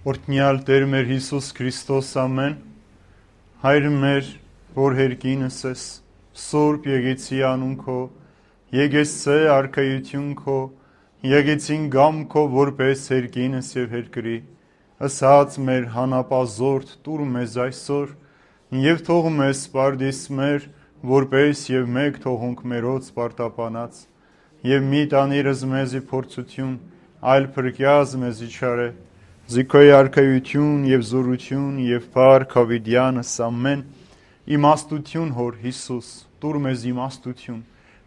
Օրհնյալ Տեր մեր Հիսուս Քրիստոս ամեն, Հայր մեր, որ հերկինս ես, Սուրբ եկեցի անուն քո, եկեցե արքայություն քո, եկեցին գամ քո որպես հերկինս եւ հերկրի, ասած մեր հանապազորդ տուր մեզ այսօր, եւ թող մեզ սպարդիս մեր, որպես եւ մեկ թողունք մերոց սպարտապանած, եւ մի տանիրս մեզի փորձություն, այլ փրկյազ մեզի չարե, Զիքոյ արքայություն եւ զորություն եւ փառք հավիտյանս ամեն իմաստություն հոր Հիսուս տուր մեզ իմաստություն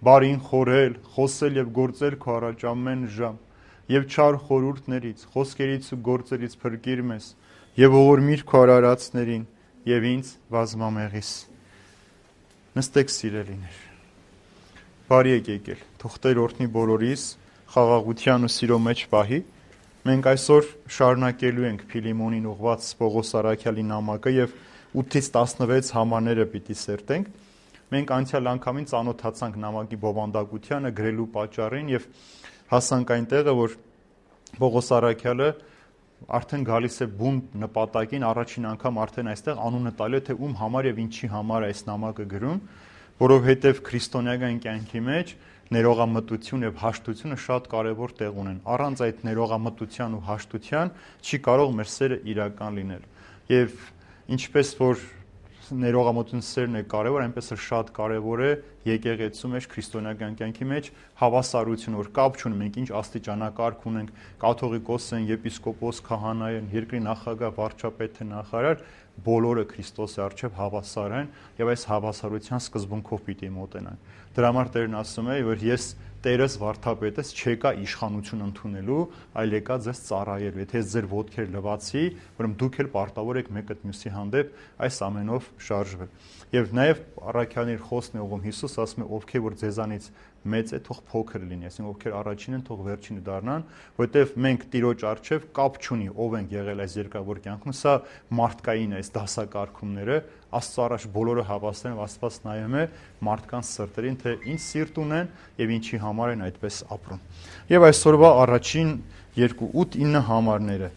բարին խորել խոսել եւ գործել քո առաջ ամեն ժամ եւ չար խորհուրդներից խոսքերից ու գործերից փրկիր մեզ եւ ողորմիր քո արարածներին եւ ինձ բազմամեղիս նստեք սիրելիներ բարի եկել թող Տեր օրհնի բոլորիս խաղաղության ու սիրո մեջ պահի Մենք այսօր շարունակելու ենք Փիլիմոնին ուղված Պողոս Արաքյալի նամակը եւ 8-ից 16 համարները պիտի սերտենք։ Մենք անցյալ անգամին ծանոթացանք նամակի բովանդակությանը, գրելու պատճառին եւ հասանք այն տեղը, որ Պողոս Արաքյալը արդեն գալիս է բուն նպատակին, առաջին անգամ արդեն այստեղ անունը տալու է, թե ում համար եւ ինչի համար է այս նամակը գրում, որովհետեւ քրիստոնեական կյանքի մեջ ներողամտություն եւ հաշտությունը շատ կարեւոր տեղ ունեն։ Առանց այդ ներողամտության ու հաշտության չի կարող մեր սերը իրական լինել։ Եվ ինչպես որ ներողամտության սերն է կարեւոր, այնպես էլ շատ կարեւոր է եկեղեցու մեջ քրիստոնեական կյանքի մեջ հավասարություն, որ կապ չունի մենք ինչ աստիճանակարգ ունենք, կաթողիկոս են, եպիսկոպոս, քահանա են, երկրի նախագահ, վարչապետ թե նախարար, բոլորը Քրիստոսի առջև հավասար են եւ այս հավասարության սկզբունքով պիտի մոտենանք։ Դրա համար Տերն ասում է, որ ես Տերս վարդապետս չեկա իշխանություն ընդունելու, այլ եկա ձեզ ծառայելու։ Եթե ես ձեր ոտքեր լվացի, ուրեմն դուք էլ պարտավոր եք մեկը մյուսի հանդեպ այս ամենով շարժվել։ Եվ նաև առաքյալի խոսքն է ուղում Հիսուս ասում է, ովքեր որ ձեզանից մեծ է, թող փոքր լինի, այսինքն ովքեր առաջին են, թող վերջինը դառնան, որովհետև մենք Տիրոջ առջև կապ չունի, ով ենք եղել այս երկրավոր կյանքում, սա մարդկային է, այս դասակարգումները, Աստծո առաջ բոլորը հավասար են, Աստված նայում է մարդկանց սրտերին, թե ինչ սիրտ ունեն եւ ինչի համար են այդպես ապրում։ Եվ այսօրվա առաջին 2-8-9 համարները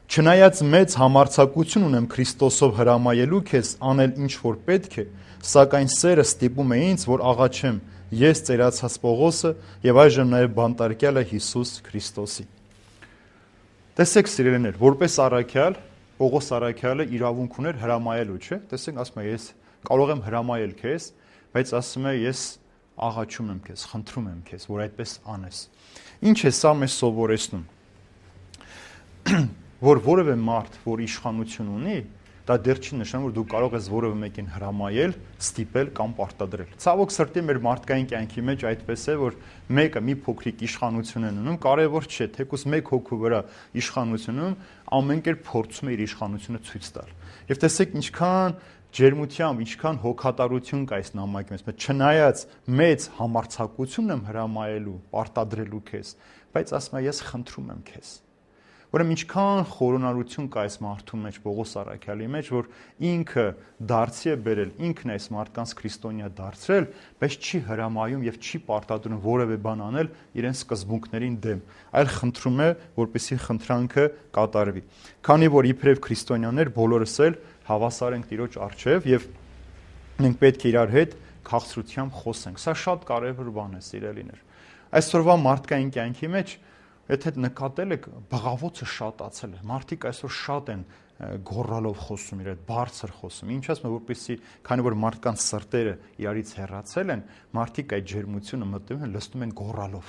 Չնայած մեծ համարձակություն ունեմ Քրիստոսով հրամայելու քեզ անել ինչ որ պետք է, սակայն սերը ստիպում է ինձ, որ աղաչեմ ես ծերացած Պողոսը եւ այժմ նաեւ բանտարկյալը Հիսուս Քրիստոսի։ Տեսեք սիրելիներ, որպես առաքյալ, Պողոս առաքյալը իրավունք ուներ հրամայելու, չէ՞։ Տեսեք, ասում է ես կարող եմ հրամայել քեզ, բայց ասում է ես աղաչում եմ քեզ, խնդրում եմ քեզ, որ այդպես անես։ Ինչ է սա մեզ սովորեցնում։ Որ որևէ մարդ, որ իշխանություն ունի, դա դեռ չի նշանակում, որ դու կարող ես որևէ մեկին հրամայել, ստիպել կամ պարտադրել։ Ցավոք սրտի մեր մարդկային կյանքի մեջ այդպես է, որ մեկը մի փոքրիկ իշխանություն է ունում, կարևոր չէ, թեկուզ մեկ հոգու վրա իշխանությունում ամեն կերպ փորձում է իր իշխանությունը ցույց տալ։ Եվ տեսեք ինչքան ջերմությամբ, ինչքան հոգատարություն կա այս նամակի մեջ, չնայած մեծ համարձակություն եմ հրամայելու, պարտադրելու քեզ, բայց ասում եմ ես խնդրում եմ քեզ։ Ուրեմն ինչքան խորոնարություն կա այս մարդու մեջ, Պողոս առաքյալի մեջ, որ ինքը դարձի է բերել, ինքն է այս մարդկանց քրիստոնյա դարձրել, բայց չի հրամայում եւ չի պարտադրում որևէ բան անել իրեն սկզբունքներին դեմ, այլ խնդրում է, որպեսզի խնդրանքը կատարվի։ Քանի որ իբրև քրիստոնյաներ բոլորս էլ հավասար ենք Տիրոջ առջև եւ մենք պետք է իրար հետ քաղցրությամբ խոսենք։ Սա շատ կարեւոր բան է, սիրելիներ։ Այսօրվա մարդկային կյանքի մեջ Եթե նկատել եք, բղավոցը շատացել է։ Մարդիկ այսօր շատ են գոռալով խոսում, իրար բարձր խոսում։ Ինչ ասում եմ, որպեսզի քանի որ մարդկանց սրտերը իրարից հեռացել են, մարդիկ այդ ջերմությունը մտնում են, լսում են գոռալով։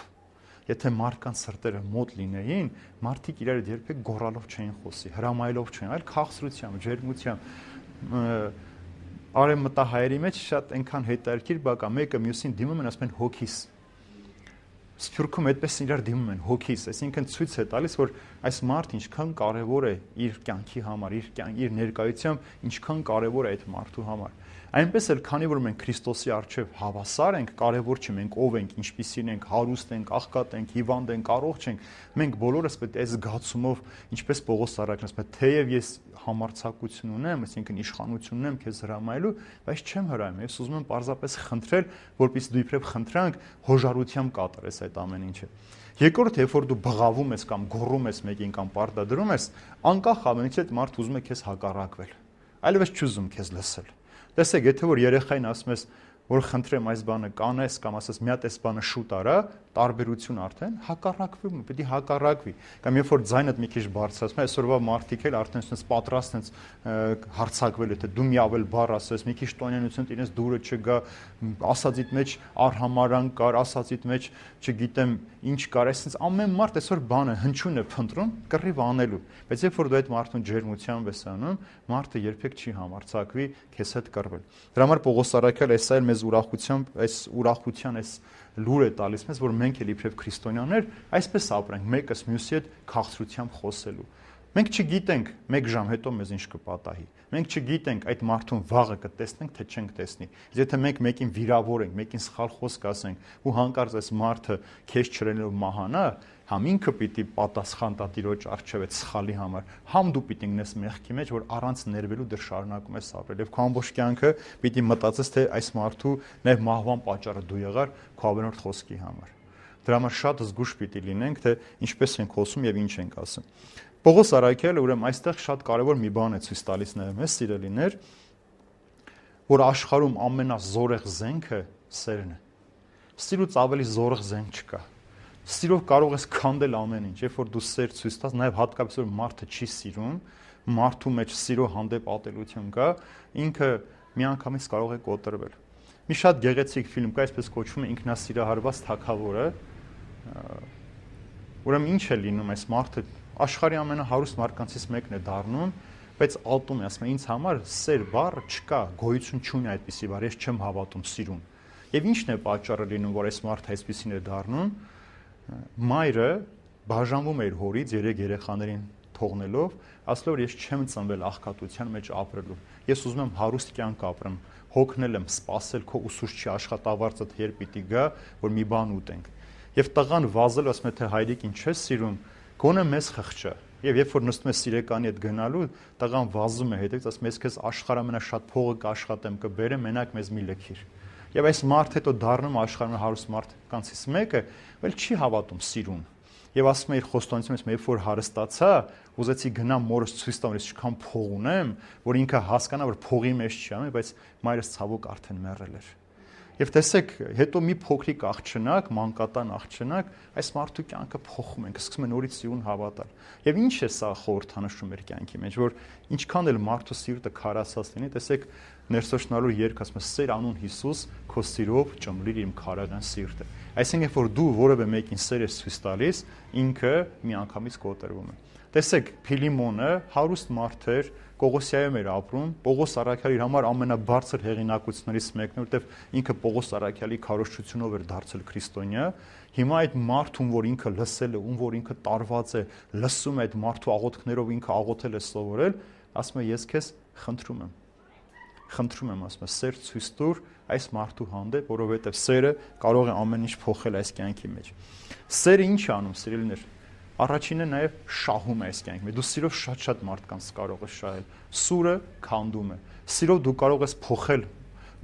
Եթե մարդկանց սրտերը մոտ լինեին, մարդիկ իրար հետ երբեք գոռալով չէին խոսի, հրամայելով չէին, այլ քաղցրությամբ, ջերմությամբ։ Արևմտահայերի մեջ շատ այնքան հետաքրքիր բան կա, մեկը մյուսին դիմում են, ասում են հոգիս։ Սփյուռքում այդպես իրար դիմում են հոգիս, այսինքն ցույց է տալիս, որ այս մարդը ինչքան կարևոր է իր կյանքի համար, իր ներկայությամբ, ինչքան կարևոր է այդ մարդու համար։ Այնպես էլ քանի որ մենք Քրիստոսի առջև հավասար ենք, կարևոր չէ մենք ով ենք, ինչպիսին ենք, հարուստ ենք, աղքատ ենք, հիվանդ ենք, առողջ ենք, մենք բոլորս պետք է այս զգացումով, ինչպես Պողոս առաքյալն ասում է, թեև ես համարձակություն ունեմ, այսինքն իշխանություն ունեմ քեզ հրամայելու, բայց չեմ հրամայում, ես ուզում եմ պարզապես խնդրել, որպեսզի դու իբրև խնդրանք հոժարությամբ կատարես այդ ամեն ինչը։ Երկրորդ, երբ որ դու բղավում ես կամ գոռում ես մեկին կամ պարտադրում ես, անկախ ամենից այդ մարդը ուզում է քեզ հակառակվել։ Այլևս չուզում քեզ լսել։ Տեսեք, եթե որ երեխային ասում ես, որ խնդրեմ այս բանը կանես կամ ասես մի հատ այս բանը շուտ արա, տարբերություն արդեն հակառակվում է, պետք է հակառակվի։ Կամ երբ որ ձայնդ մի քիչ բարձրացնում ես, այսօրվա մարդիկ էլ արդեն sense պատրաստ են հարցակվել, եթե դու մի ավել բառ ասես, մի քիչ տոնենություն տիրես դուրը չգա, ասածիդ մեջ արհամարան կար, ասածիդ մեջ, չգիտեմ, ինչ կար, այսինքն ամեն մարդ այսօր բանը հնչյուն է փնտրում, կռիվ անելու։ Բայց երբ որ դու այդ մարդուն ջերմությամբ ես անում, մարդը երբեք չի համարձակվի քեզ հետ կռվել։ Դրա համար Պողոս առաքյալը էս այլ մեզ ուրախությամբ, այս ուրախության այս լուր է տալիս մեզ, որ մենք էլ իբրև քրիստոնյաներ այսպես ապրենք, մեկս մյուսի հետ քաղցրությամբ խոսելու։ Մենք չգիտենք 1 ժամ հետո մեզ ինչ կպատահի։ Մենք չգիտենք այդ մարդուն վաղը կտեսնենք, թե չենք տեսնի։ Եթե մենք մեկին վիրավորենք, մեկին սխալ խոսք ասենք ու հանկարծ այս մարդը քեզ չրելով մահանա, համ ինքը պիտի պատասխան տա Տիրոջ առջև այդ սխալի համար, համ դու պիտի գնես մեղքի մեջ, որ առանց ներվելու դեռ շարունակում ես ապրել։ Եվ քո ամբողջ կյանքը պիտի մտածես, թե այս մարդու նաև մահվան պատճառը դու եղար քո ավելորդ խոսքի համար։ Դրա համար շատ զգուշ պիտի լինենք, թե ինչպես ենք խոսում եւ ինչ ենք ասում։ Պողոս առաքյալը ուրեմն այստեղ շատ կարևոր մի բան է ցույց տալիս նաև մեզ, սիրելիներ, որ աշխարհում ամենազորեղ զենքը սերն է։ Սիրուց ավելի զորեղ զենք չկա։ Սիրով կարող ես քանդել ամեն ինչ, երբ որ դու սեր ցույց տաս, նաև հատկապես որ մարդը չի սիրում, մարդու մեջ սիրո հանդեպ ատելություն կա, ինքը միանգամից կարող է կոտրվել։ Մի շատ գեղեցիկ ֆիլմ կա, այսպես կոչվում է Ինքնասիրահարված թագավորը։ Ուրեմն ինչ է լինում այս մարդը աշխարհի ամենահարուստ մարդկանցից մեկն է դառնում, բայց ալտում է, ասում է, ինձ համար սեր բառը չկա, գոյություն չունի այդպիսի բառ, ես չեմ հավատում սիրուն։ Եվ ի՞նչն է պատճառը լինում, որ այս մարդը այսպիսին է դառնում։ Մայրը բաժանվում է իր հորից 3 երեխաներին թողնելով, ասելով, որ ես չեմ ծնվել աղքատության մեջ ապրելու։ Ես ուզում եմ հարուստ կյանք ապրեմ, հոգնել եմ, սпасել քո ուսուցչի աշխատավարձը երբ պիտի գա, որ մի բան ուտենք։ Եվ տղան վազել ասում է, թե հայրիկ ինչ ես սիրում, գոնե մեզ խղճա։ Եվ երբ որ նստում է սիրեկանի հետ գնալու, տղան վազում է հետից, ասում է, ես քեզ աշխարհի ամենաշատ փողը կաշխատեմ, կբերեմ, մենակ մեզ մի լքիր։ Եվ այս մարդը հետո դառնում աշխարհի հարուստ մարդկանցից մեկը, ել չի հավատում սիրուն։ Եվ ասում է իր խոստոնից մեջ, երբ որ հարստացա, ուզեցի գնամ մորս ցույց տամ, ես ինչքան փող ունեմ, որ ինքը հասկանա, որ փողի մեջ չի անում, բայց մայրս ցավոք արդեն մեռել էր։ Եվ տեսեք, հետո մի փոքրիկ աղջնակ, մանկատան աղջնակ, այս մարդու կյանքը փոխում ենք, սկսում է նորից սիրուն հավատալ։ Եվ ինչ է սա խորհրդանշում մեր կյանքի մեջ, որ ինչքան էլ մարդու սիրտը քարացած լինի, տեսեք, ներսոշնալու երգ ասում է, սեր անուն Հիսուս, քո սիրով ճմլիր իմ քարական սիրտը։ Այսինքն, երբ որ դու որևէ մեկին սեր ես ցույց տալիս, ինքը միանգամից կոտրվում է։ Տեսեք, Փիլիմոնը հարուստ մարդ էր, Կողոսիայում էր ապրում, Պողոս առաքյալի իր համար ամենաբարձր հեղինակություններից մեկն է, որտեղ ինքը Պողոս առաքյալի քարոզչությունով էր դարձել քրիստոնյա։ Հիմա այդ մարդուն, որ ինքը լսել է, ում որ ինքը տարված է, լսում է այդ մարդու աղոթքներով, ինքը աղոթել է սովորել, ասում է, ես քեզ խնդրում եմ, ասում է, սեր ցույց տուր այս մարդու հանդեպ, որովհետև սերը կարող է ամեն ինչ փոխել այս կյանքի մեջ։ Սերը ինչ է անում, սիրելիներ։ Առաջինը նաև շահում է այս կյանքի մեջ։ Դու սիրով շատ մարդկանց կարող ես շահել։ Սուրը քանդում է։ Սիրով դու կարող ես փոխել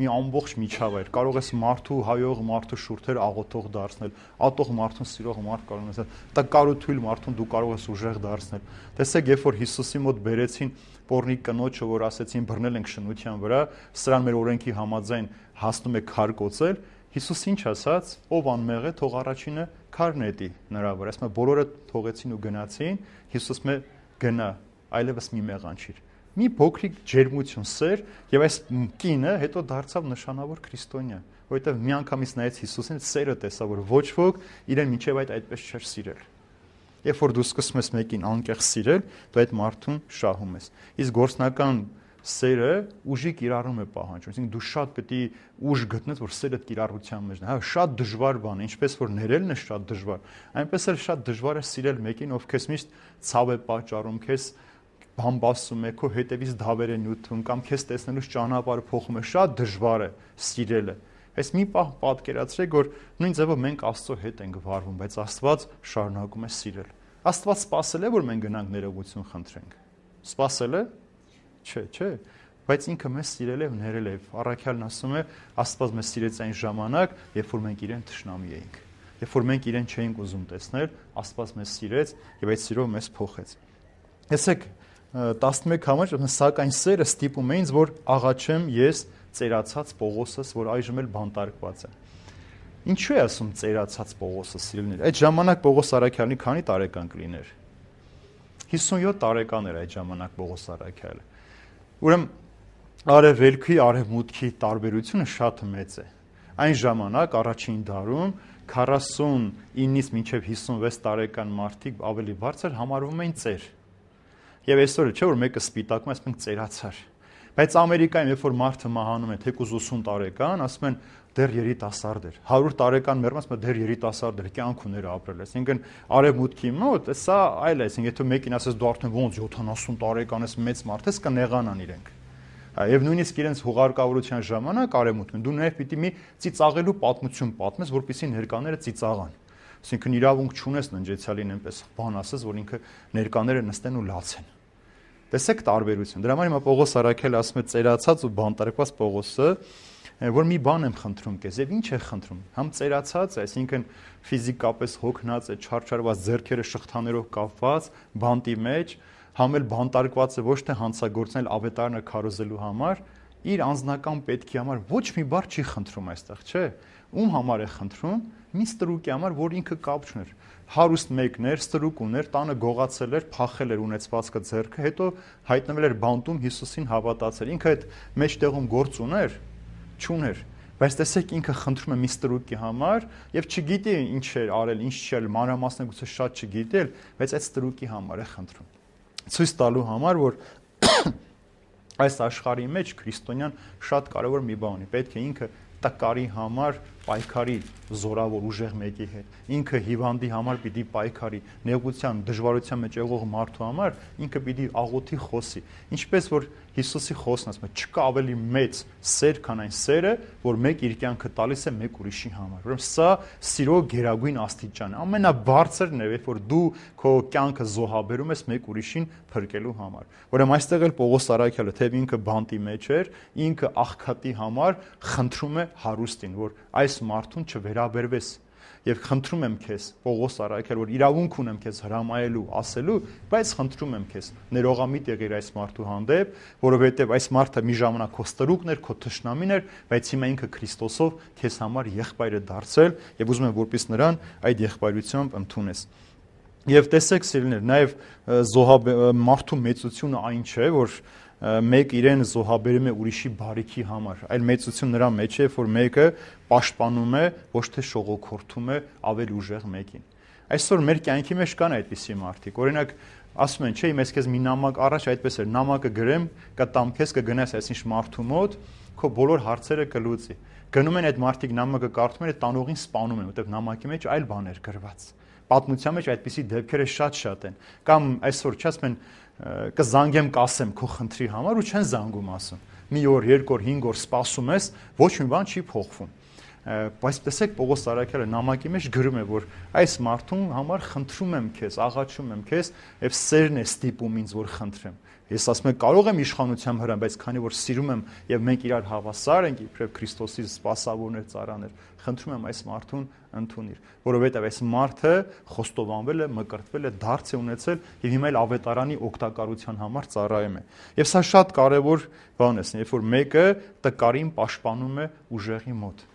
մի ամբողջ միջավայր, կարող ես մարդու հայող մարդու շուրթեր աղոթող դարձնել, ատող մարդուն սիրող մարդ կարող ես, տկարութույլ մարդուն դու կարող ես ուժեղ դարձնել։ Տեսեք, երբ որ Հիսուսի մոտ բերեցին Պոռնիկ կնոջը, որ ասեցին բռնել ենք շնության վրա, սրան մեր օրենքի համաձայն հասնում է քար կոծել, Հիսուս ինչ ասաց, ով անմեղ է, թող առաջինը քար նետի նրա վրա։ Ասում է, բոլորը թողեցին ու գնացին, Հիսուս մե գնա, այլևս մի մեղանչիր։ Մի փոքրիկ ջերմություն, սեր, եւ այս կինը հետո դարձավ նշանավոր քրիստոնյա, որովհետեւ միանգամից նայեց Հիսուսին, սերը տեսա, որ ոչ ոք իրեն մինչեւ այդպես չէր սիրել։ Երբ որ դու սկսում ես մեկին անկեղ սիրել, դու այդ մարդուն շահում ես։ Իսկ գործնական սերը ուժի կիրառում է պահանջում, այսինքն դու շատ պետք է ուժ գտնես, որ սերը կիրառության մեջ։ Հա, շատ դժվար բան է, ինչպես որ ներելն է շատ դժվար, այնպես էլ շատ դժվար է սիրել մեկին, ով քեզ միշտ ցավ է պատճառում, քեզ բամբասում է, քո հետևից դավեր է նյութում կամ քեզ տեսնելուց ճանապարհը փոխում է, շատ դժվար է սիրելը։ Այս մի պահ պատկերացրեք, որ նույն ձևով մենք Աստծո հետ ենք վարվում, բայց Աստված շարունակում է սիրել։ Աստված սпасել է, որ մենք գնանք ներողություն խնդրենք։ Սпасել է։ Չէ, բայց ինքը մեզ սիրել է ու ներել է։ Առաքյալն ասում է, Աստված մեզ սիրեց այն ժամանակ, երբ որ մենք իրեն թշնամի էինք։ երբ որ մենք իրեն չէինք ուզում տեսնել, Աստված մեզ սիրեց եւ այդ սիրով մեզ փոխեց։ Տեսեք 11 համար, սակայն սերը ստիպում է ինձ, որ աղաչեմ ես ծերացած Պողոսս, որ այժմ էլ բանտարկված է։ Ինչու է ասում ծերացած Պողոսը, սիրելիներ։ Այդ ժամանակ Պողոս Արաքյալնի քանի տարեկան կլիներ։ 57 տարեկան էր այդ ժամանակ Պողոս Արաքյալը։ Ուրեմն արևելքի, արևմուտքի տարբերությունը շատ մեծ է։ Այն ժամանակ առաջին դարում 49-ից մինչև 56 տարեկան մարդիկ ավելի բարձր համարվում էին ծեր։ Եվ այսօր չէ որ մեկը սպիտակում է, ասում են ծերացար։ Բայց Ամերիկայում երբ որ մարդը մահանում է թեկուզ 80 տարեկան, ասում են դեռ երիտասարդ էր։ 100 տարեկան մեռնում, ասում են դեռ երիտասարդ էր, կյանք ուներ ապրել։ Այսինքն արևմուտքի մոտ սա այլ է, այսինքն եթե մեկին ասես դու արդեն ոնց 70 տարեկան ես, մեծ մարդ ես, կնեղանան իրենք։ Եվ նույնիսկ իրենց հուղարկավորության ժամանակ արևմուտքն դու նաև պիտի մի ծիծաղելու պատմություն պատմես, որպեսզի ներկաները ծիծաղան։ Այսինքն իրավունք չունես ննջեցյալին այնպես բան ասես, որ ինքը ներկաները նստեն ու լացեն։ Տեսեք տարբերություն։ Դրա համար հիմա Պողոս Արաքյալը ասում է ծերացած ու բանտարկված Պողոսը, որ մի բան եմ խնդրում քեզ, եւ ինչ է խնդրում։ Համ ծերացած է, այսինքն ֆիզիկապես հոգնած է, չարչարված ձեռքերը շղթաներով կապված, բանտի մեջ, համ էլ բանտարկված է ոչ թե հանցագործնել ավետարանը քարոզելու համար, իր անձնական պետքի համար ոչ մի բառ չի խնդրում այստեղ, չէ՞։ Ում համար է խնդրում։ Մի ստրուկի համար, որ ինքը կապ չուներ։ Հարուստ մեկն էր, ստրուկ ուներ, տանը գողացել էր, փախել էր ունեցվածքը ձեռքը, հետո հայտնվել էր բանտում Հիսուսին հավատացել։ Ինքը այդ մեջտեղում գործ ուներ, չուներ։ Բայց տեսեք ինքը խնդրում է մի ստրուկի համար եւ չգիտի ինչ էր արել, ինչ չի արել, մանրամասն գուցե շատ չգիտի, բայց այդ ստրուկի համար է խնդրում։ Ցույց տալու համար, որ այս աշխարհի մեջ քրիստոնյան շատ կարևոր մի բան ունի։ Պետք է ինքը տկարի համար պայքարի զորավոր ուժեղ մեկի հետ։ Ինքը հիվանդի համար պիտի պայքարի, նեղության, դժվարության մեջ եղող մարդու համար ինքը պիտի աղոթի խոսի։ Ինչպես որ Հիսուսի խոսքն ասում է, չկա ավելի մեծ սեր, քան այն սերը, որ մեկ իր կյանքը տալիս է մեկ ուրիշի համար։ Ուրեմն սա սիրո գերագույն աստիճան է։ Ամենաբարձրն է, երբ որ դու քո կյանքը զոհաբերում ես մեկ ուրիշին փրկելու համար։ Ուրեմն այստեղ էլ Պողոս Արաքյալը, թեև ինքը բանտի մեջ էր, ինքը աղքատի համար խնդրում է հարուստին, որ այս մարդուն չվերաբերվես եւ խնդրում եմ քեզ Պողոս Արաքյալ, որ իրավունք ունեմ քեզ հրամայելու, ասելու, բայց խնդրում եմ քեզ ներողամիտ եղիր այս մարդու հանդեպ, որովհետեւ այս մարդը մի ժամանակ քո ստրուկն էր, քո թշնամին էր, բայց հիմա ինքը Քրիստոսով քեզ համար եղբայր է դարձել եւ ուզում եմ որպես նրան այդ եղբայրությամբ ընդունես։ Եվ տեսեք սիրելիներ, նաեւ մարդու մեծությունը այն չէ, որ մեկ իրեն զոհաբերում է ուրիշի բարիքի համար, այլ մեծություն նրա մեջ է, որ մեկը պաշտպանում է, ոչ թե շողոքորթում է ավելի ուժեղ մեկին։ Այսօր մեր կյանքի մեջ կան այդպիսի մարդիկ։ Օրինակ, ասում են, չէ, ես քեզ մի նամակ առաջ այդպես էր, նամակը գրեմ, կտամ քեզ, կգնաս այսինչ մարդու մոտ, քո բոլոր հարցերը կլուծի։ Գնում են այդ մարդիկ նամակը կարդում են, տանողին սպանում են, որտեղ նամակի մեջ այլ բան էր գրված։ Պատմության մեջ այդպիսի դեպքերը շատ են։ Կամ այսօր չասում են կզանգեմ կասեմ քո խնդրի համար ու չեն զանգում ասում։ Մի օր, երկու օր, 5 օր սպասում ես, ոչ մի բան չի փոխվում։ Բայց տեսեք Պողոս Արաքյալը նամակի մեջ գրում է, որ այս մարդուն համար խնդրում եմ քեզ, աղաչում եմ քեզ, եւ սերն է ստիպում ինձ, որ խնդրեմ։ Ես ասում եմ կարող եմ իշխանությամբ հրամ, բայց քանի որ սիրում եմ եւ մենք իրար հավասար ենք, իբրև Քրիստոսի սպասավորներ, ծառաներ, խնդրում եմ այս մարդուն ընդունիր, որովհետեւ այս մարդը խոստովանվել է, մկրտվել է, դարձ է ունեցել եւ հիմա էլ ավետարանի օգտակարության համար ծառայում է։ Եվ սա շատ կարեւոր բան է, երբ որ մեկը տկարին պաշտպանում է ուժեղի մոտ։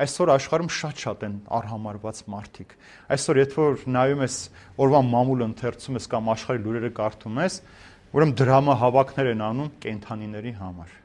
Այսօր աշխարհում շատ են արհամարված մարդիկ։ Այսօր եթե որ նայում ես օրվա մամուլը ընթերցում ես կամ աշխարհի լուրերը կարդում ես, ուրեմն դրամահավաքներ են անում կենդանիների համար,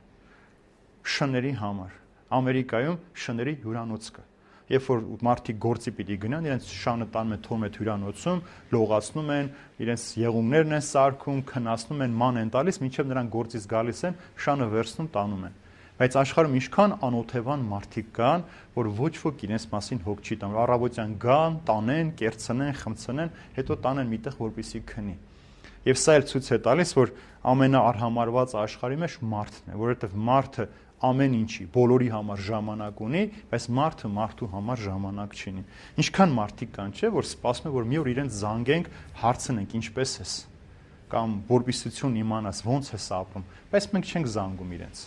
շների համար։ Ամերիկայում շների հյուրանոց կա։ Երբ որ մարդիկ գործի պիտի գնան, իրենց շանը տանում են թողում այդ հյուրանոցում, լողացնում են, իրենց եղունգներն են սարքում, քնացնում են, ման են տալիս, մինչև նրանք գործից գալիս են, շանը վերցնում տանում են։ Բայց աշխարհում ինչքան անօթևան մարդիկ կան, որ ոչ ոք իրենց մասին հոգ չի տանում։ Առավոտյան գան, տանեն, կերցնեն, խմցնեն, հետո տանեն միտեղ որպեսի քնի։ Եվ սա էլ ցույց է տալիս, որ ամենաարհամարված աշխարհի մեջ մարդն է, որովհետև մարդը ամեն ինչի, բոլորի համար ժամանակ ունի, բայց մարդը մարդու համար ժամանակ չունի։ Ինչքան մարդիկ կան, չէ, որ սպասում են, որ մի օր իրենց զանգենք, հարցնենք ինչպես ես, կամ որպիսություն իմանաս, ոնց ես ապրում, բայց մենք չենք զանգում իրենց։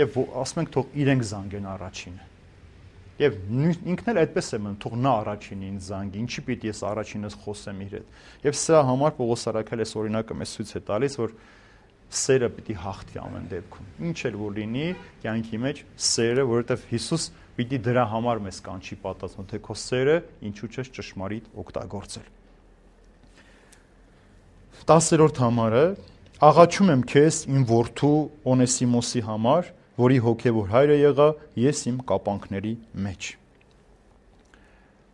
Եվ ասում ենք թող իրենք զանգեն առաջինը։ Եվ ինքն էլ այդպես է մնում, թող նա առաջինը ինձ զանգի, ինչի պիտի ես առաջինս խոսեմ իր հետ։ Եվ սրա համար Պողոս առաքյալը այս օրինակը մեզ ցույց է տալիս, որ սերը պիտի հաղթի ամեն դեպքում։ Ինչ էլ որ լինի, կյանքի մեջ սերը, որովհետև Հիսուս պիտի դրա համար մեզ կանչի պատասխան, թե քո սերը ինչու չես ճշմարիտ օգտագործել։ 10-րդ համարը աղաչում եմ քեզ իմ որդու Օնեսիմոսի համար, որի հոգևոր հայրը եղա ես իմ կապանքների մեջ։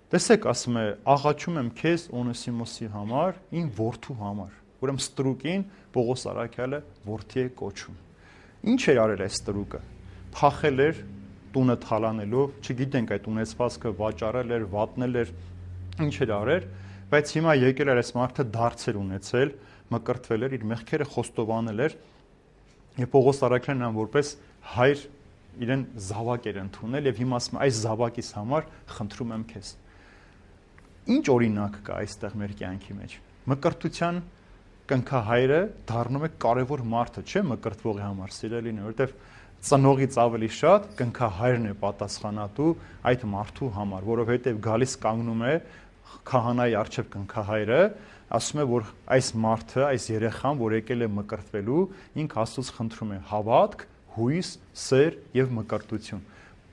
Տեսեք, ասում է, աղաչում եմ քեզ Օնեսիմոսի համար, իմ որդու համար։ Ուրեմն ստրուկին Պողոս առաքյալը որդի է կոչում։ Ինչ էր արել այս ստրուկը։ Փախել էր տունը թալանելով, չգիտենք այդ ունեցվածքը վաճառել էր, վատնել էր, ինչ էր արել, բայց հիմա եկել էր այս մարդը դարձեր ունեցել, մկրտվել էր, իր մեղքերը խոստովանել էր, եւ Պողոս առաքյալն նրան որպես հայր իրեն զավակ էր ընդունել եւ հիմա ասում է այս զավակիս համար խնդրում եմ քեզ։ Ինչ օրինակ կա այստեղ մեր կյանքի մեջ։ Մկրտության կնքահայրը դառնում է կարևոր մարդը, չէ՞ մկրտվողի համար, սիրելին, որովհետեւ ծնողից ավելի շատ կնքահայրն է պատասխանատու այդ մարդու համար, որովհետեւ գալիս կանգնում է քահանայի առջև կնքահայրը, ասում է, որ այս մարդը, այս երեխան, որ եկել է մկրտվելու, ինք Աստծուց խնդրում է հավատք, հույս, սեր եւ մկրտություն,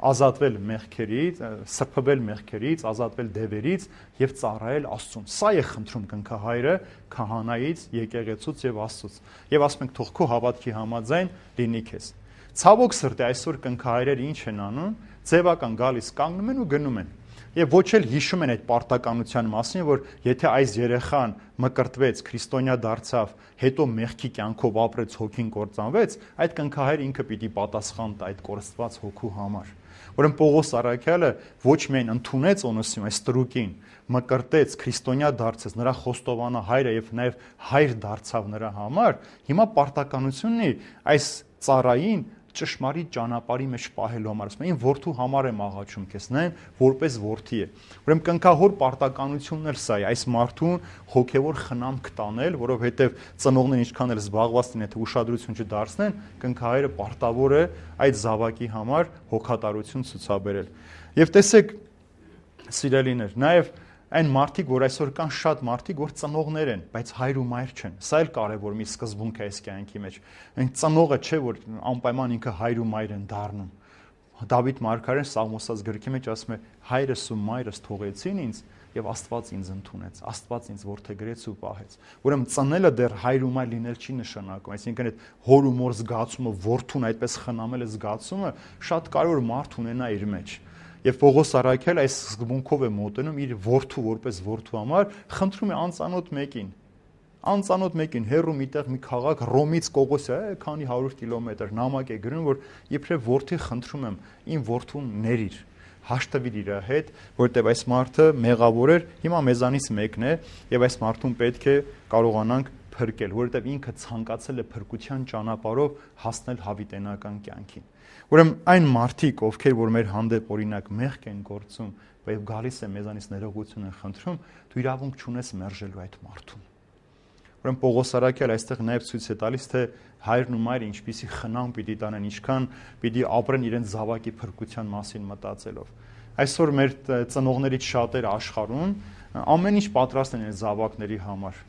ազատվել մեղքերից, սրբվել մեղքերից, ազատվել դևերից եւ ծառայել Աստծուն։ Սա է խնդրում կնքահայրը քահանայից, եկեղեցուց եւ Աստծուց։ Եվ ասում ենք, թող քո հավատքի համաձայն լինի քեզ։ Ցավոք սրտի այսօր կնքահայրերը ինչ են անում, ձևական գալիս կանգնում են ու գնում են։ Եվ ոչ էլ հիշում են այդ պարտականության մասին, որ եթե այս երեխան մկրտվեց, քրիստոնյա դարձավ, հետո մեղքի կյանքով ապրեց, հոգին կործանվեց, այդ կնքահայրը ինքը պիտի պատասխան տա այդ կորստված հոգու համար։ Ուրեմն Պողոս առաքյալը ոչ միայն ընդունեց Օնեսիմ այս ստրուկին, մկրտեց, քրիստոնյա դարձեց, նրա խոստովանա հայրը եւ նաեւ հայր դարձավ նրա համար, հիմա պարտականությունն է այս ծառային ճշմարիտ ճանապարհի մեջ պահելու համար, ասում եմ, որդու համար եմ աղաչում քեզ, նայեն որպես որդի է։ Ուրեմն կնքահոր պարտականությունն էլ սա է, այս մարդուն հոգևոր խնամք տանել, որովհետև ծնողներն ինչքան էլ զբաղված լինեն, թե ուշադրություն չդարձնեն, կնքահայրը պարտավոր է այդ զավակի համար հոգատարություն ցուցաբերել։ Եվ տեսեք, սիրելիներ, նաև այն մարդիկ, որ այսօր կան շատ մարդիկ, որ ծնողներ են, բայց հայր ու մայր չեն։ Սա էլ կարևոր մի սկզբունք է այս կյանքի մեջ։ Այն ծնողը չէ, որ անպայման ինքը հայր ու մայր են դառնում։ Դավիթ մարգարեն Սաղմոսած գրքի մեջ ասում է. հայրս ու մայրս թողեցին ինձ եւ Աստված ինձ ընդունեց, Աստված ինձ որդեգրեց ու պահեց։ Ուրեմն ծնելը դեռ հայր ու մայր լինել չի նշանակում, այսինքն այդ հոր ու մոր զգացումը, որդուն այդպես խնամել է զգացումը շատ կարևոր մարդ ունենա իր մեջ։ Եվ Պողոս առաքյալը այս սկզբունքով է մոտենում իր որդու որպես որդու համար, խնդրում է անծանոթ մեկին, հեռու միտեղ մի քաղաք Ռոմից Կողոսի է, քանի 100 կիլոմետր նամակ է գրում, որ իբրև որդի խնդրում եմ, իմ որդուն ներիր, հաշտվիր իր հետ, որտեղ այս մարդը մեղավոր էր, հիմա մեզանից մեկն է, եւ այս մարդուն պետք է կարողանանք փրկել, որովհետև ինքը ցանկացել է փրկության ճանապարհով հասնել հավիտենական կյանքին։ Ուրեմն այն մարդիկ, ովքեր որ մեր հանդեպ օրինակ մեղք են գործում, եւ գալիս է մեզանից ներողություն են խնդրում, դու իրավունք չունես մերժելու այդ մարդուն։ Ուրեմն Պողոս առաքյալը այստեղ նաեւ ցույց է տալիս, թե հայրն ու մայրը ինչպիսի խնամ պիտի տանեն, ինչքան պիտի ապրեն իրենց զավակի փրկության մասին մտածելով։ Այսօր մեր ծնողներից շատերը աշխարհում ամեն ինչ պատրաստ են զավակների համար։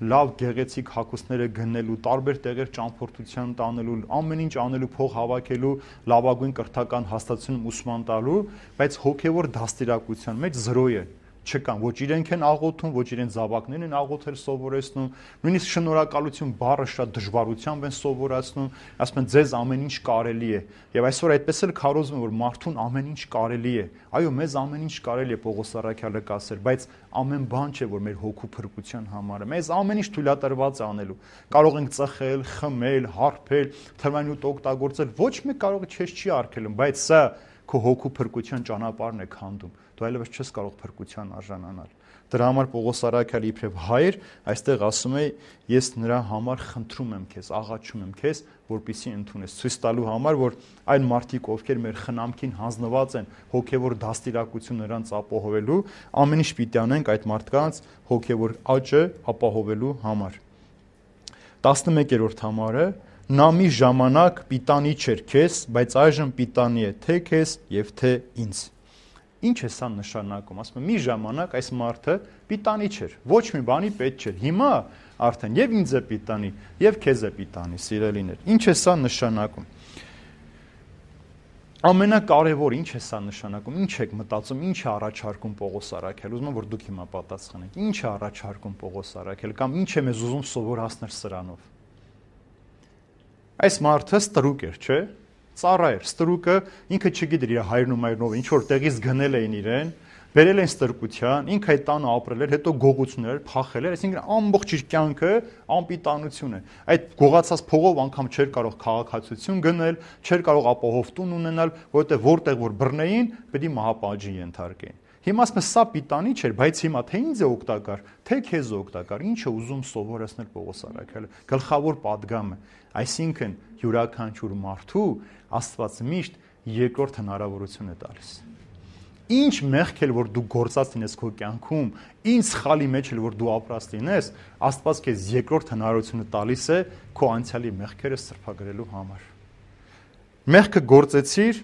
Լավ գեղեցիկ հագուստները գնելու, տարբեր տեղեր ճամփորդության տանելու, ամեն ինչ անելու, փող հավաքելու, լավագույն կրթական հաստատությունում ուսման տալու, բայց հոգևոր դաստիարակության մեջ զրո է։ Չկան, ոչ իրենք են աղոթում, ոչ իրենց զավակներն են աղոթել սովորեցնում, նույնիսկ շնորհակալություն բառը շատ դժվարությամբ են սովորացնում, ասում են ձեզ ամեն ինչ կարելի է։ Եվ այսօր այդպես էլ քարոզում են, որ մարդուն ամեն ինչ կարելի է։ Այո, մեզ ամեն ինչ կարելի է, Պողոս առաքյալը կասել, բայց ամեն բան չէ, որ մեր հոգու փրկության համար է։ Մեզ ամեն ինչ թույլատրված է անելու։ Կարող ենք ծխել, խմել, հարբել, թմրանյութ օգտագործել, ոչ մեկ կարող է չես չի արգելում, բայց սա քո հոգու փրկության ճանապարհն է քանդում։ Դու այլևս չես կարող փրկության արժանանալ։ Դրա համար Պողոս առաքյալը իբրև հայր այստեղ ասում է. ես նրա համար խնդրում եմ քեզ, աղաչում եմ քեզ, որպեսզի ընդունես, ցույց տալու համար, որ այն մարդիկ, ովքեր մեր խնամքին հանձնված են հոգևոր դաստիարակություն նրանց ապահովելու, ամեն ինչ պիտի անենք այդ մարդկանց հոգևոր աճը ապահովելու համար։ 11-րդ համարը. նա մի ժամանակ պիտանի չէր քեզ, բայց այժմ պիտանի է թե քեզ եւ թե ինձ։ Ինչ է սա նշանակում, ասում եմ, մի ժամանակ այս մարդը պիտանի չէր, ոչ մի բանի պետք չէր, հիմա արդեն եւ ինձ է պիտանի, եւ քեզ է պիտանի, սիրելիներ, ինչ է սա նշանակում, ամենակարևոր ինչ է սա նշանակում, ինչ եք մտածում, ինչ է առաջարկում Պողոս Արաքել, ուզում եմ, որ դուք հիմա պատասխանեք, ինչ է առաջարկում Պողոս Արաքել, կամ ինչ է մեզ ուզում սովորացնել սրանով, այս մարդը ստրուկ էր, չէ, ծառա էր, ստրուկը ինքը չգիտեր իր հայրն ու մայրնով, ինչ որ տեղից գնել էին իրեն, բերել են ստրկության, ինքը այդ տանը ապրել էր, հետո գողություններ, փախել էր, այսինքն ամբողջ իր կյանքը անպիտանություն է։ Այդ գողացած փողով անգամ չէր կարող քաղաքացիություն գնել, չէր կարող ապահով տուն ունենալ, որովհետև որտեղ որ բռնեին, պետք է մահապատժի ենթարկեին։ Հիմա ասում եմ, սա պիտանի չէր, բայց հիմա թե ինձ է օգտակար, թե քեզ է օգտակար, ինչ է ուզում սովորեցնել Պողոս Արաքելը, գլխավոր պատգամը, այսինքն յուրաքանչյուր մարդու Աստված միշտ երկրորդ հնարավորություն է տալիս։ Ինչ մեղք էլ որ դու գործած լինես քո կյանքում, ինչ սխալի մեջ էլ որ դու ապրած լինես, Աստված քեզ երկրորդ հնարավորությունը տալիս է քո անցյալի մեղքերը սրբագրելու համար։ Մեղքը գործեցիր,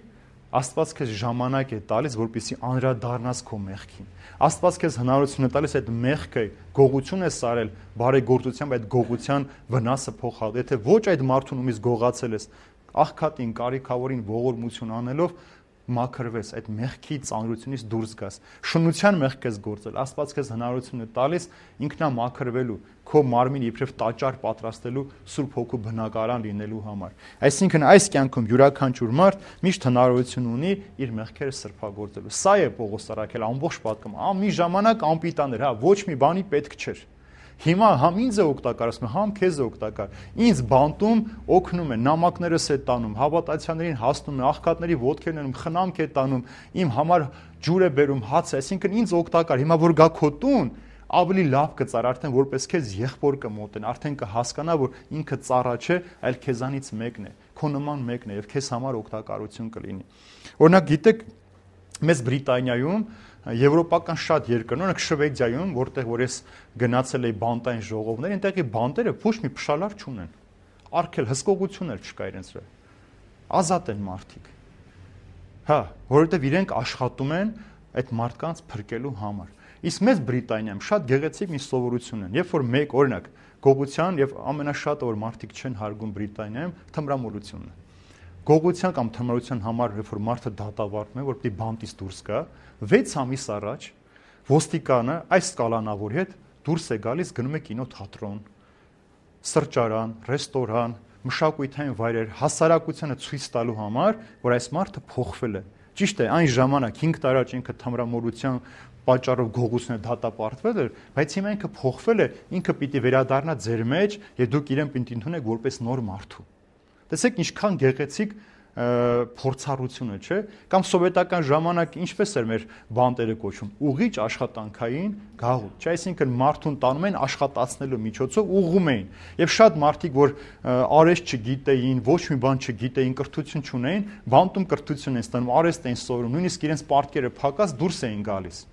Աստված քեզ ժամանակ է տալիս, որպեսզի անդրադառնաս քո մեղքին։ Աստված քեզ հնարավորություն է տալիս այդ մեղքը գողություն է սարել, բարեգործությամբ այդ գողության վնասը փոխալ։ Եթե ոչ այդ մարդուն ումից գողացել ես, աղքատին, կարիքավորին ողորմություն անելով մաքրվես, այդ մեղքի ծանրությունից դուրս գաս։ Շնության մեղք ես գործել, Աստված քեզ հնարավորություն է տալիս ինքնամաքրվելու, քո մարմին իբրև տաճար պատրաստելու, Սուրբ Հոգու բնակարան լինելու համար։ Այսինքն այս կյանքում յուրաքանչյուր մարդ միշտ հնարավորություն ունի իր մեղքերը սրբագործելու։ Սա է Պողոս Արաքել ամբողջ պատկում։ Մի ժամանակ անպիտան էր, ոչ մի բանի պետք չէր։ Հիմա համ ինձ է օգտակար, ասում եմ, համ քեզ է օգտակար։ Ինձ բանտում օգնում է, նամակներս է տանում, հավատացյալներին հասնում է, աղքատների ոտքերն են խնամք է տանում, իմ համար ջուր է բերում, հաց է, այսինքն ինձ օգտակար։ Հիմա որ գա քո տուն, ավելի լավ կծար, արդեն որպես քեզ եղբոր կմոտեն, արդեն կհասկանա, որ ինքը ծառա չէ, այլ քեզանից մեկն է, քո նման մեկն է եւ քեզ համար օգտակարություն կլինի։ Օրինակ, գիտեք, մեզ Բրիտանիայում եվրոպական շատ երկրներ, օրինակ Շվեդիայում, որտեղ որ ես գնացել էի բանտային ժողովներ, այնտեղի բանտերը ոչ մի փշալար չունեն։ Արգել հսկողություն էլ չկա իրենց վրա։ Ազատ են մարդիկ։ Հա, որովհետև իրենք աշխատում են այդ մարդկանց փրկելու համար։ Իսկ մեզ Բրիտանիայում շատ գեղեցիկ մի սովորություն են, երբ որ մեկ օրինակ գողության եւ ամենաշատը որ մարդիկ չեն հարգում Բրիտանիայում թմրամոլությունն է։ Գողության կամ թմրության համար, երբ որ մարդը դատավարվում է, որ պիտի բանտից դուրս գա, 6 ամիս առաջ ոստիկանը այս կալանավորի հետ դուրս է գալիս, գնում է կինոթատրոն, սրճարան, ռեստորան, մշակութային վայրեր, հասարակությանը ցույց տալու համար, որ այս մարդը փոխվել է։ Ճիշտ է, այն ժամանակ 5 տարի առաջ ինքը թմրամոլության պատճառով գողությունը դատապարտվել էր, բայց հիմա ինքը փոխվել է, ինքը պիտի վերադառնա ձեր մեջ եւ դուք իրեն պիտի ընդունեք որպես նոր մարդու։ Տեսեք ինչքան գեղեցիկ փորձառությունը, չէ՞, կամ սովետական ժամանակ ինչպես էր մեր բանտերը կոչում, ուղիչ աշխատանքային գաղութ, չէ՞, այսինքն մարդուն տանում են աշխատացնելու միջոցով ուղղում էին։ Եվ շատ մարդիկ, որ արեստ չգիտեին, ոչ մի բան չգիտեին, կրթություն չունեին, բանտում կրթություն են ստանում, արեստ էին սովորում, նույնիսկ իրենց պարտքերը փակած դուրս էին գալիս։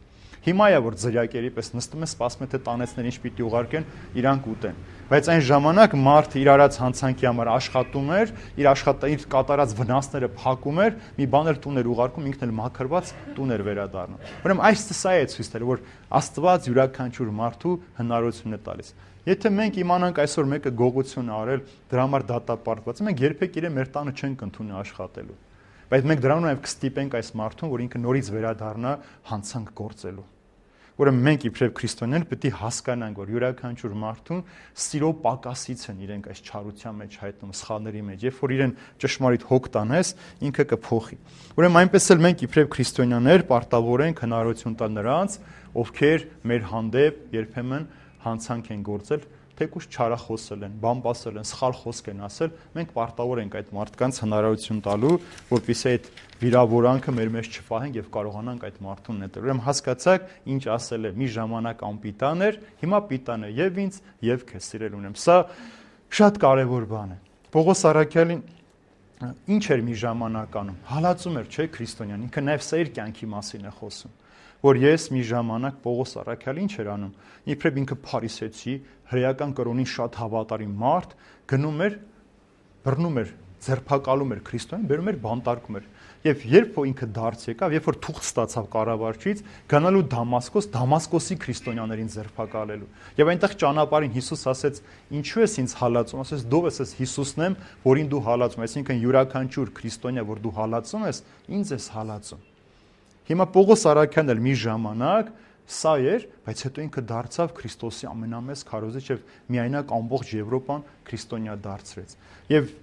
Հիմա է որ ձրյակերի պես նստում են, սպասում են թե տանեցներ ինչ պիտի ուղարկեն, իրանք ուտեն։ Բայց այն ժամանակ մարդը իր արած հանցանքի համար աշխատում էր, իր կատարած վնասները փակում էր, մի բան էլ տուն էր ուղարկում, ինքն էլ մաքրված տուն էր վերադառնում։ Ուրեմն այս սա է ցույց տալու, որ Աստված յուրաքանչյուր մարդու հնարավորություն է տալիս։ Եթե մենք իմանանք այսօր մեկը գողություն արել, դրա համար դատապարտված, մենք երբեք իրեն մեր տանը չենք ընդունի աշխատելու։ Բայց մենք դրանով նաև կստիպենք այս մարդուն, որ ինքը նորից վերադառնա հանցանք գործելու։ Ուրեմն մենք իբրև քրիստոնյաներ պետք է հասկանանք, որ յուրաքանչյուր մարդուն սիրո պակասից են իրենք այս չարության մեջ հայտնում, սխալների մեջ, երբ որ իրեն ճշմարիտ հոգ տանես, ինքը կփոխի։ Ուրեմն այնպես էլ մենք իբրև քրիստոնյաներ պարտավոր ենք հնարավորություն տալ նրանց, ովքեր մեր հանդեպ երբեմն հանցանք են գործել, թեկուզ չարախոսել են, բամբասել են, սխալ խոսք են ասել, մենք պարտավոր ենք այդ մարդկանց հնարավորություն տալու, որպեսզի այդ վիրավորանքը մեր մեջ չփահենք եւ կարողանանք այդ մարդուն նետել։ Ուրեմն հասկացաք, ինչ ասել է, մի ժամանակ անպիտան էր, հիմա պիտան է եւ ինձ եւ քեզ սիրել ունեմ։ Սա շատ կարեւոր բան է։ Պողոս Արաքյալին ինչ էր մի ժամանակ անում։ Հալածում էր, չէ՞, քրիստոնյան, ինքը նաեւ սա իր կյանքի մասին է խոսում։ Որ ես մի ժամանակ Պողոս Արաքյալը ինչ էր անում, իբրև ինքը փարիսեցի, հրեական կրոնին շատ հավատարիմ մարդ, գնում էր, բռնում էր ձերբակալում էր Քրիստոսին, բերում էր բանտարկում էր։ Եվ երբ որ ինքը դարձ եկավ, երբ որ թուղթ ստացավ կառավարչից, գնալու Դամասկոս, Դամասկոսի քրիստոնյաներին ձերբակալելու։ Եվ այնտեղ ճանապարհին Հիսուս ասեց. «Ինչու ես ինձ հալածում»։ Ասեց. «Դու ես Հիսուսն եմ, որին դու հալածում ես»։ Այսինքն յուրաքանչյուր քրիստոնյա, որ դու հալածում ես, ինձ ես հալածում։ Հիմա Պողոս Արաքյանն էլ մի ժամանակ սա էր, բայց հետո ինքը դարձավ Քրիստոսի ամենամեծ քարոզիչ եւ միայնակ ամբողջ Եվրոպան քրիստոնյա դարձրեց։ Եվ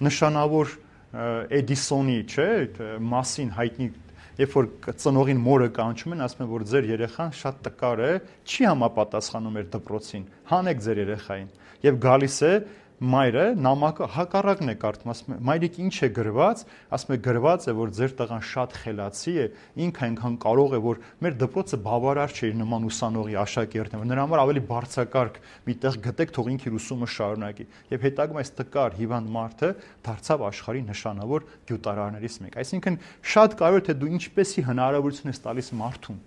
նշանավոր Էդիսոնի, չէ, մասին հայտնի, երբ որ ծնողին մորը կանչում են, ասում են, որ ձեր երեխան շատ տկար է, չի համապատասխանում էր դպրոցին, հանեք ձեր երեխային։ Եվ գալիս է մայրը, նամակը հակառակն է կարդում, ասում է, մայրիկ ինչ է գրված, ասում է գրված է, որ ձեր տղան շատ խելացի է, ինքը այնքան կարող է, որ մեր դպրոցը բավարար չէ իր նման ուսանողի աշակերտին, որ նրա համար ավելի բարձրակարգ մի տեղ գտեք, թող ինքը իր ուսումը շարունակի։ Եվ հետագայում այս տկար հիվանդ մարդը դարձավ աշխարհի նշանավոր գյուտարարներից մեկը։ Այսինքն շատ կարևոր է, թե դու ինչպեսի հնարավորություն ես տալիս մարդուն,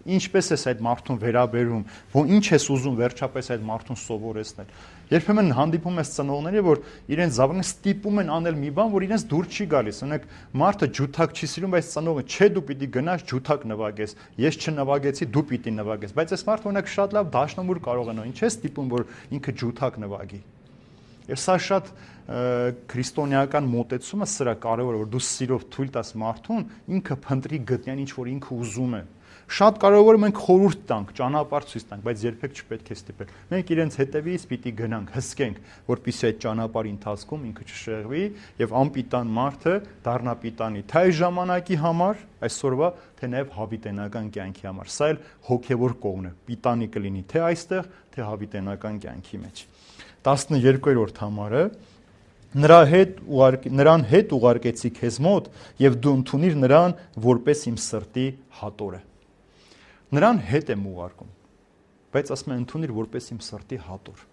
ինչպես ես այդ մարդուն վերաբերում, որ ինչ ես ուզում վերջապես այդ մարդուն սովորեցնել։ Երբեմն հանդիպում ես ծնողների, որ իրենց զավակները ստիպում են անել մի բան, որ իրենց դուր չի գալիս։ Օրինակ, մարդը ջութակ չի սիրում, բայց ծնողը չէ, դու պիտի գնաս ջութակ նվագես, ես չնվագեցի, դու պիտի նվագես։ Բայց այս մարդը օրինակ շատ լավ դաշնամուր կարող է նո, ինչ է ստիպում, որ ինքը ջութակ նվագի։ Եվ սա շատ քրիստոնեական մոտեցումը սրա կարևոր է, որ դու սիրով թույլ տաս մարդուն, ինքը փնտրի գտնի ինչ որ ինքը ուզում է։ Շատ կարևոր է մենք խորհուրդ տանք, ճանապարհ ցույց տանք, բայց երբեք չպետք է ստիպել։ Մենք իրենց հետևից պիտի գնանք, հսկենք, որպեսզի այդ ճանապարհի ընթացքում ինքը չշեղվի եւ անպիտան մարդը դառնա պիտանի, թե այս ժամանակի համար, այսօրվա, թե նաեւ հավիտենական կյանքի համար։ Սա էլ հոգեվոր կողմն է, պիտանի կլինի թե այստեղ, թե հավիտենական կյանքի մեջ։ 12-րդ համարը նրան հետ ուղարկեցի քեզ մոտ եւ դու ընդունիր նրան որպես իմ սրտի հատորը։ Նրան հետ եմ ուղարկում, բայց ասում եմ ընդունիր որպես իմ սրտի հատոր։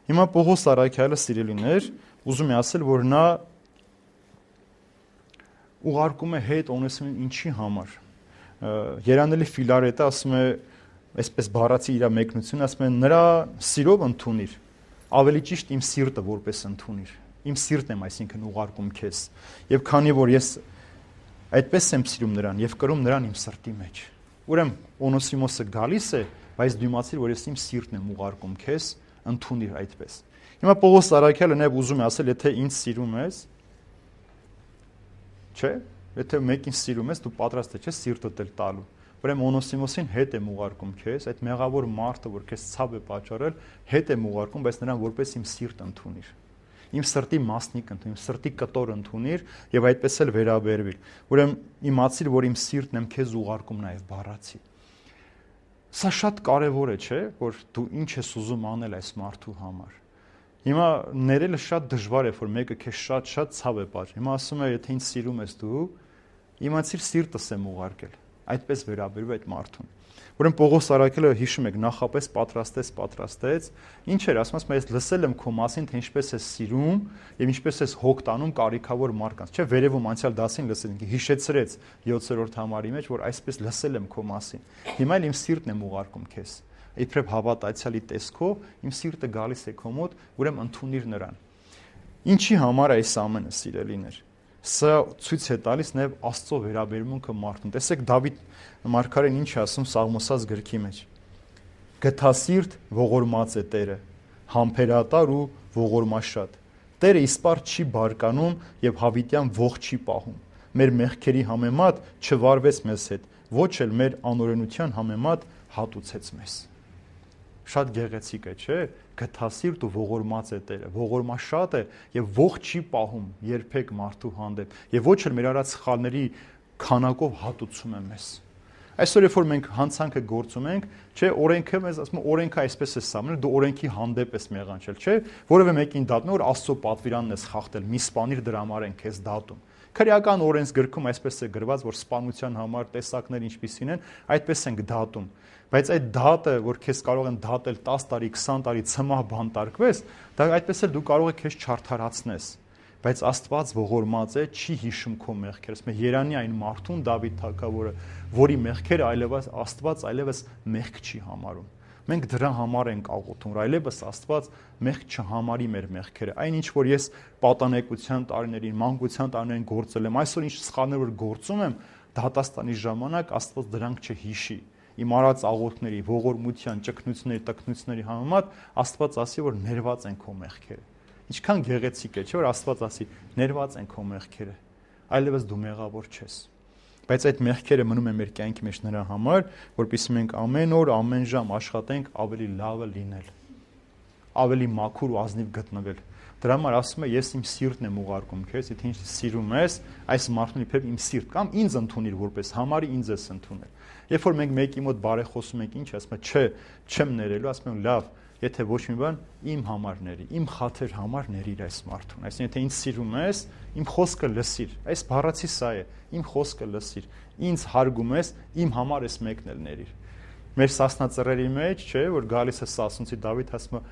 Հիմա Պողոս Արաքյալը, սիրելիներ, ուզում է ասել, որ նա ուղարկում է հետ Օնեսիմին ինչի համար։ Երանելի Ֆիլարետը ասում է, այսպես բառացի իր մեկնությունը, ասում է նրա սիրով ընդունիր, ավելի ճիշտ իմ սիրտը որպես ընդունիր։ Իմ սիրտն եմ, այսինքն ուղարկում քեզ։ Եվ քանի որ ես այդպես եմ սիրում նրան եւ կրում նրան իմ սրտի մեջ։ Ուրեմն Օնոսիմոսը գալիս է, բայց դու իմացիր, որ ես իմ սիրտն եմ ուղարկում քեզ, ընդունիր այդպես։ Հիմա Պողոս Արաքյալը նաև ուզում է ասել, եթե ինձ սիրում ես, չէ՞, եթե մեկին սիրում ես, դու պատրաստ ես սիրտդ էլ տալու։ Ուրեմն Օնոսիմոսին հետ եմ ուղարկում քեզ, այդ մեղավոր մարդը, որ քեզ ցավ է պատճառել, հետ եմ ուղարկում, բայց նրան որպես իմ սիրտ ընդունիր։ Իմ սրտի մասնիկ ընդունիր, իմ սրտի կտոր ընդունիր եւ այդպես էլ վերաբերվիր։ Ուրեմն իմացիր, որ իմ սիրտն եմ քեզ ուղարկում նաեւ բառացի։ Սա շատ կարեւոր է, չէ՞, որ դու ինչ ես ուզում անել այս մարդու համար։ Հիմա ներելը շատ դժվար է, որ մեկը քեզ շատ ցավ է պատճառ։ Հիմա ասում է, եթե ինձ սիրում ես դու, իմացիր սիրտս եմ ուղարկել։ Այդպես վերաբերվի այդ մարդուն։ Ուրեմն Պողոս Արաքյալը հիշում եք, նախապես պատրաստեց, ինչ էր ասում, ես լսել եմ քո մասին, թե ինչպես ես սիրում եւ ինչպես ես հոգ տանում կարիքավոր մարդկանց, չէ՞, վերևում անցյալ դասին լսել ենք, հիշեցրեց 7-րդ համարի մեջ, որ այսպես լսել եմ քո մասին։ Հիմա էլ իմ սիրտն եմ ուղարկում քեզ։ Իբրև հավատացյալի տեսքով իմ սիրտը գալիս է քո մոտ, ուրեմն ընդունիր նրան։ Ինչի համար է այս ամենը, սիրելիներ։ Սա ցույց է տալիս նաև Աստծո վերաբերմունքը մարդուն։ Տեսեք Դավիթ մարգարեն ինչ է ասում Սաղմոսած գրքի մեջ։ Գթասիրտ ողորմած է Տերը, համբերատար ու ողորմաշատ։ Տերը իսպառ չի բարկանում եւ հավիտյան ող չի պահում։ Մեր մեղքերի համեմատ չվարվեց մեզ հետ, ոչ էլ մեր անօրենության համեմատ հատուցեց մեզ։ Շատ գեղեցիկ է, չէ՞։ Գթասիրտ ու ողորմած է Տերը, ողորմաշատ է եւ ող չի պահում երբեք մարդու հանդեպ եւ ոչ էլ մեր արած սխալների քանակով հատուցում է մեզ։ Այսօր երբ որ մենք հանցանքը գործում ենք, չէ, օրենքը մեզ ասում է օրենքը այսպես է սահմանել, դու օրենքի հանդեպ ես մեղանչել, չէ, որևէ մեկին դատում որ Աստծո պատվիրանն ես խախտել, մի սպանիր դրա համար են քեզ դատում։ Քրեական օրենսգրքում այսպես է գրված, որ սպանության համար տեսակներ ինչպիսին են, այդպես ենք դատում։ Բայց այդ դատը, որ քեզ կարող են դատել 10 տարի, 20 տարի ցմահ բանտարկվես, դա այդպես էլ դու կարող ես քեզ չարթարացնես։ Բայց Աստված ողորմած է, չի հիշում քո մեղքերը։ Ասում է Երանի այն մարդուն Դավիթ թագավորը, որի մեղքերը այլևս Աստված այլևս մեղք չի համարում։ Մենք դրա համար ենք աղոթում, այլևս Աստված մեղք չհամարի մեր մեղքերը։ Այն ինչ որ ես պատանեկության տարիներին, մանկության տարիներին գործել եմ, այսօր ինչ սխալներ որ գործում եմ, դատաստանի ժամանակ Աստված դրանք չհիշի։ Իմ արած աղոթքների, ողորմության, ճգնությունների, տքնությունների համեմատ Աստված ասի, որ ներված են քո մեղքերը։ Ինչքան գեղեցիկ է, չէ՞ որ Աստված ասի, ներված են քո մեղքերը։ Այլևս դու մեղավոր չես։ Բայց այդ մեղքերը մնում են մեր կյանքի մեջ նրա համար, որպեսզի մենք ամեն օր, ամեն ժամ աշխատենք ավելի լավը լինել, ավելի մաքուր ու ազնիվ գտնվել։ Դրա համար ասում է, ես իմ սիրտն եմ ուղարկում քեզ, եթե ինչ սիրում ես, այս մարդուն իբր իմ սիրտ կամ ինձ ընդունիր որպես համարի ինձ ես ընդունել։ Երբ որ մենք մեկի մոտ բարեխոսում ենք, ինչ ասում է, չէ, չեմ ներելու, ասում եմ, լավ, եթե ոչ մի բան, իմ համար ների, իմ խաթր համար ներիր այս մարդուն։ Այսինքն, եթե ինձ սիրում ես, իմ խոսքը լսիր։ Այս բառացի սա է, իմ խոսքը լսիր։ Ինձ հարգում ես, իմ համար ես մեկն էլ ներիր։ Մեր սասնածռերի մեջ, չէ, որ գալիս է Սասունցի Դավիթ, ասում է,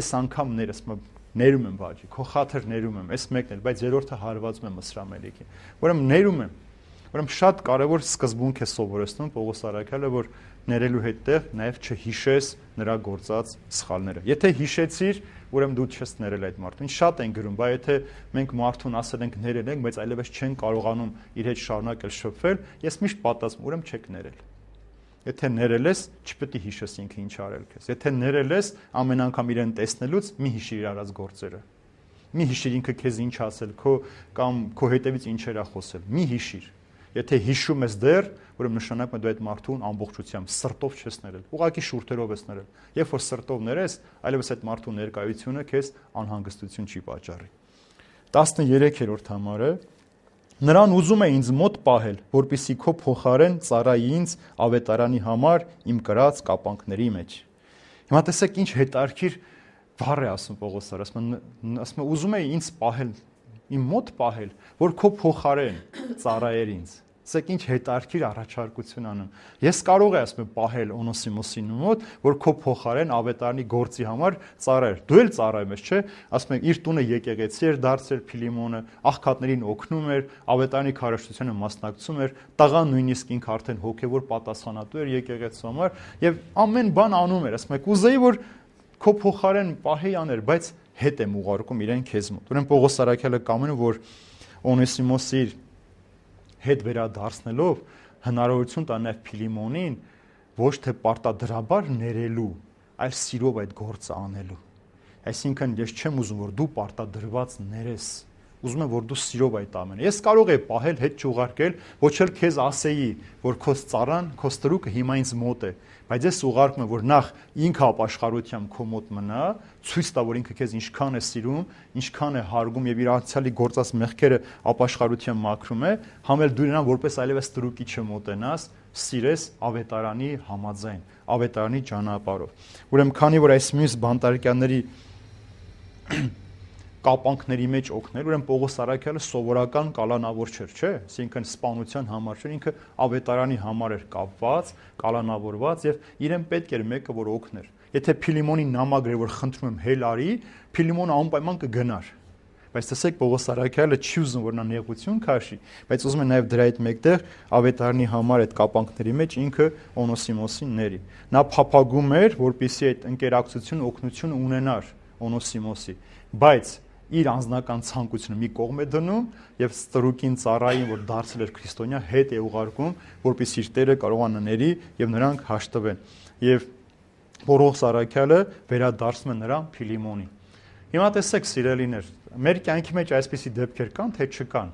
այս անգամ ներ, ասում է, ներում եմ բաժի, քո խաթր ներում եմ, այս մեկն էլ, բայց երրորդը հարվածում եմ Մսրամելիքին։ Ուրեմն ներում եմ։ Ուրեմն շատ կարևոր սկզբունք է սովորեցնում Պողոս առաքյալը, որ ներելու հետտեղ նաև չհիշես նրա գործած սխալները։ Եթե հիշեցիր, ուրեմն դու չես ներել այդ մարդուն։ Շատ են գրում, բայց եթե մենք մարդուն ասել ենք ներել ենք, բայց այլևս չեն կարողանում իր հետ շարունակել շփվել, ես միշտ պատասխանում, ուրեմն չեք ներել։ Եթե ներել ես, չպետք է հիշես ինքը ինչ արել քեզ։ Եթե ներել ես, ամեն անգամ իրեն տեսնելուց մի հիշիր իր արած գործերը։ Մի հիշիր ինքը քեզ ինչ ասել, կամ քո հետևից ինչեր ա խոսել։ Մի հիշիր։ Եթե հիշում ես դեռ, ուրեմն նշանակում է դու այդ մարդուն ամբողջությամբ սրտով չես ներել, ուղղակի շուրթերով ես ներել։ Երբ որ սրտով ներես, այլևս այդ մարդու ներկայությունը քեզ անհանգստություն չի պատճառի։ 13-րդ համարը նրան ուզում է ինձ մոտ պահել, որպեսզի քո փոխարեն ծառայի ինձ ավետարանի համար իմ կրած կապանքների մեջ։ Հիմա տեսեք ինչ հետարքիր բառ է ասում Պողոս առաքյալը, ասում է ուզում է ինձ պահել, իմ մոտ պահել, որ քո փոխարեն ծառայեր ինձ։ Սեք ինչ հետարքիր առաջարկություն անում։ Ես կարող եմ ասում պահել Օնոսիմոսին մոտ, որ քո փոխարեն ավետարանի գործի համար ծառայեր։ Դու էլ ծառայում ես, չէ՞։ Ասում եմ իր տունը եկեղեցի էր դարձել Փիլիմոնը, աղքատներին օգնում էր, ավետարանի քարոզչությանը մասնակցում էր, տղան նույնիսկ ինքը արդեն հոգևոր պատասխանատու էր եկեղեցու համար եւ ամեն բան անում էր։ Ասում եմ կուզեի որ քո փոխարեն պահեի աներ, բայց հետ եմ ուղարկում իրեն քեզ մոտ։ Ուրեմն Պողոս առաքյալը կամենում որ Օնեսիմոսի հետ վերադարձնելով հնարավորություն տա նաև Փիլիմոնին ոչ թե պարտադրաբար ներելու, այլ սիրով այդ գործը անելու։ Այսինքն ես չեմ ուզում որ դու պարտադրված ներես, ուզում եմ որ դու սիրով այդ ամենը։ Ես կարող եմ պահել հետ չուղարկել, ոչ էլ քեզ ասեի, որ քո ծառան, քո ստրուկը հիմա ինձ մոտ է, բայց ես ուղարկում եմ որ նախ ինքը ապաշխարությամբ քո մոտ մնա, ցույց տա որ ինքը քեզ ինչքան է սիրում, ինչքան է հարգում եւ իր անցյալի գործած մեղքերը ապաշխարությամբ մաքրում է, համել դու նրան որպես այլևս ստրուկի չմոտենաս, սիրես ավետարանի համաձայն, ավետարանի ճանապարհով։ Ուրեմն քանի որ այս մյուս բանտարկյանների կապանքների մեջ օգնել, ուրեմն Պողոս առաքյալը սովորական կալանավոր չէր, չէ՞, այսինքն սպանության համար չէր, ինքը ավետարանի համար էր կապված, կալանավորված եւ իրեն պետք էր մեկը որ օգներ։ Եթե Փիլիմոնին նամակ էր որ խնդրում եմ հել արի, Փիլիմոնը անպայման կգնար։ Բայց տեսեք Պողոս առաքյալը չի ուզում որ նա նեղություն քաշի, բայց ուզում է նաեւ դրա այդ մեկտեղ ավետարանի համար այդ կապանքների մեջ ինքը Օնոսիմոսին ների։ Նա փափագում էր, որպեսզի այդ ընկերակցությունը օգնությունը ունենար Օնոսիմոսի, բայց իր անձնական ցանկությունը մի կողմ է դնում եւ ստրուկին ծառային որ դարձել էր քրիստոնյա հետ է ուղարկում որպեսզի իր Տերը կարողանա ների եւ նրանք հաշտվեն եւ Պողոս առաքյալը վերադարձնում է նրան Փիլիմոնին։ Հիմա տեսեք սիրելիներ, մեր կյանքի մեջ այսպիսի դեպքեր կան թե չկան։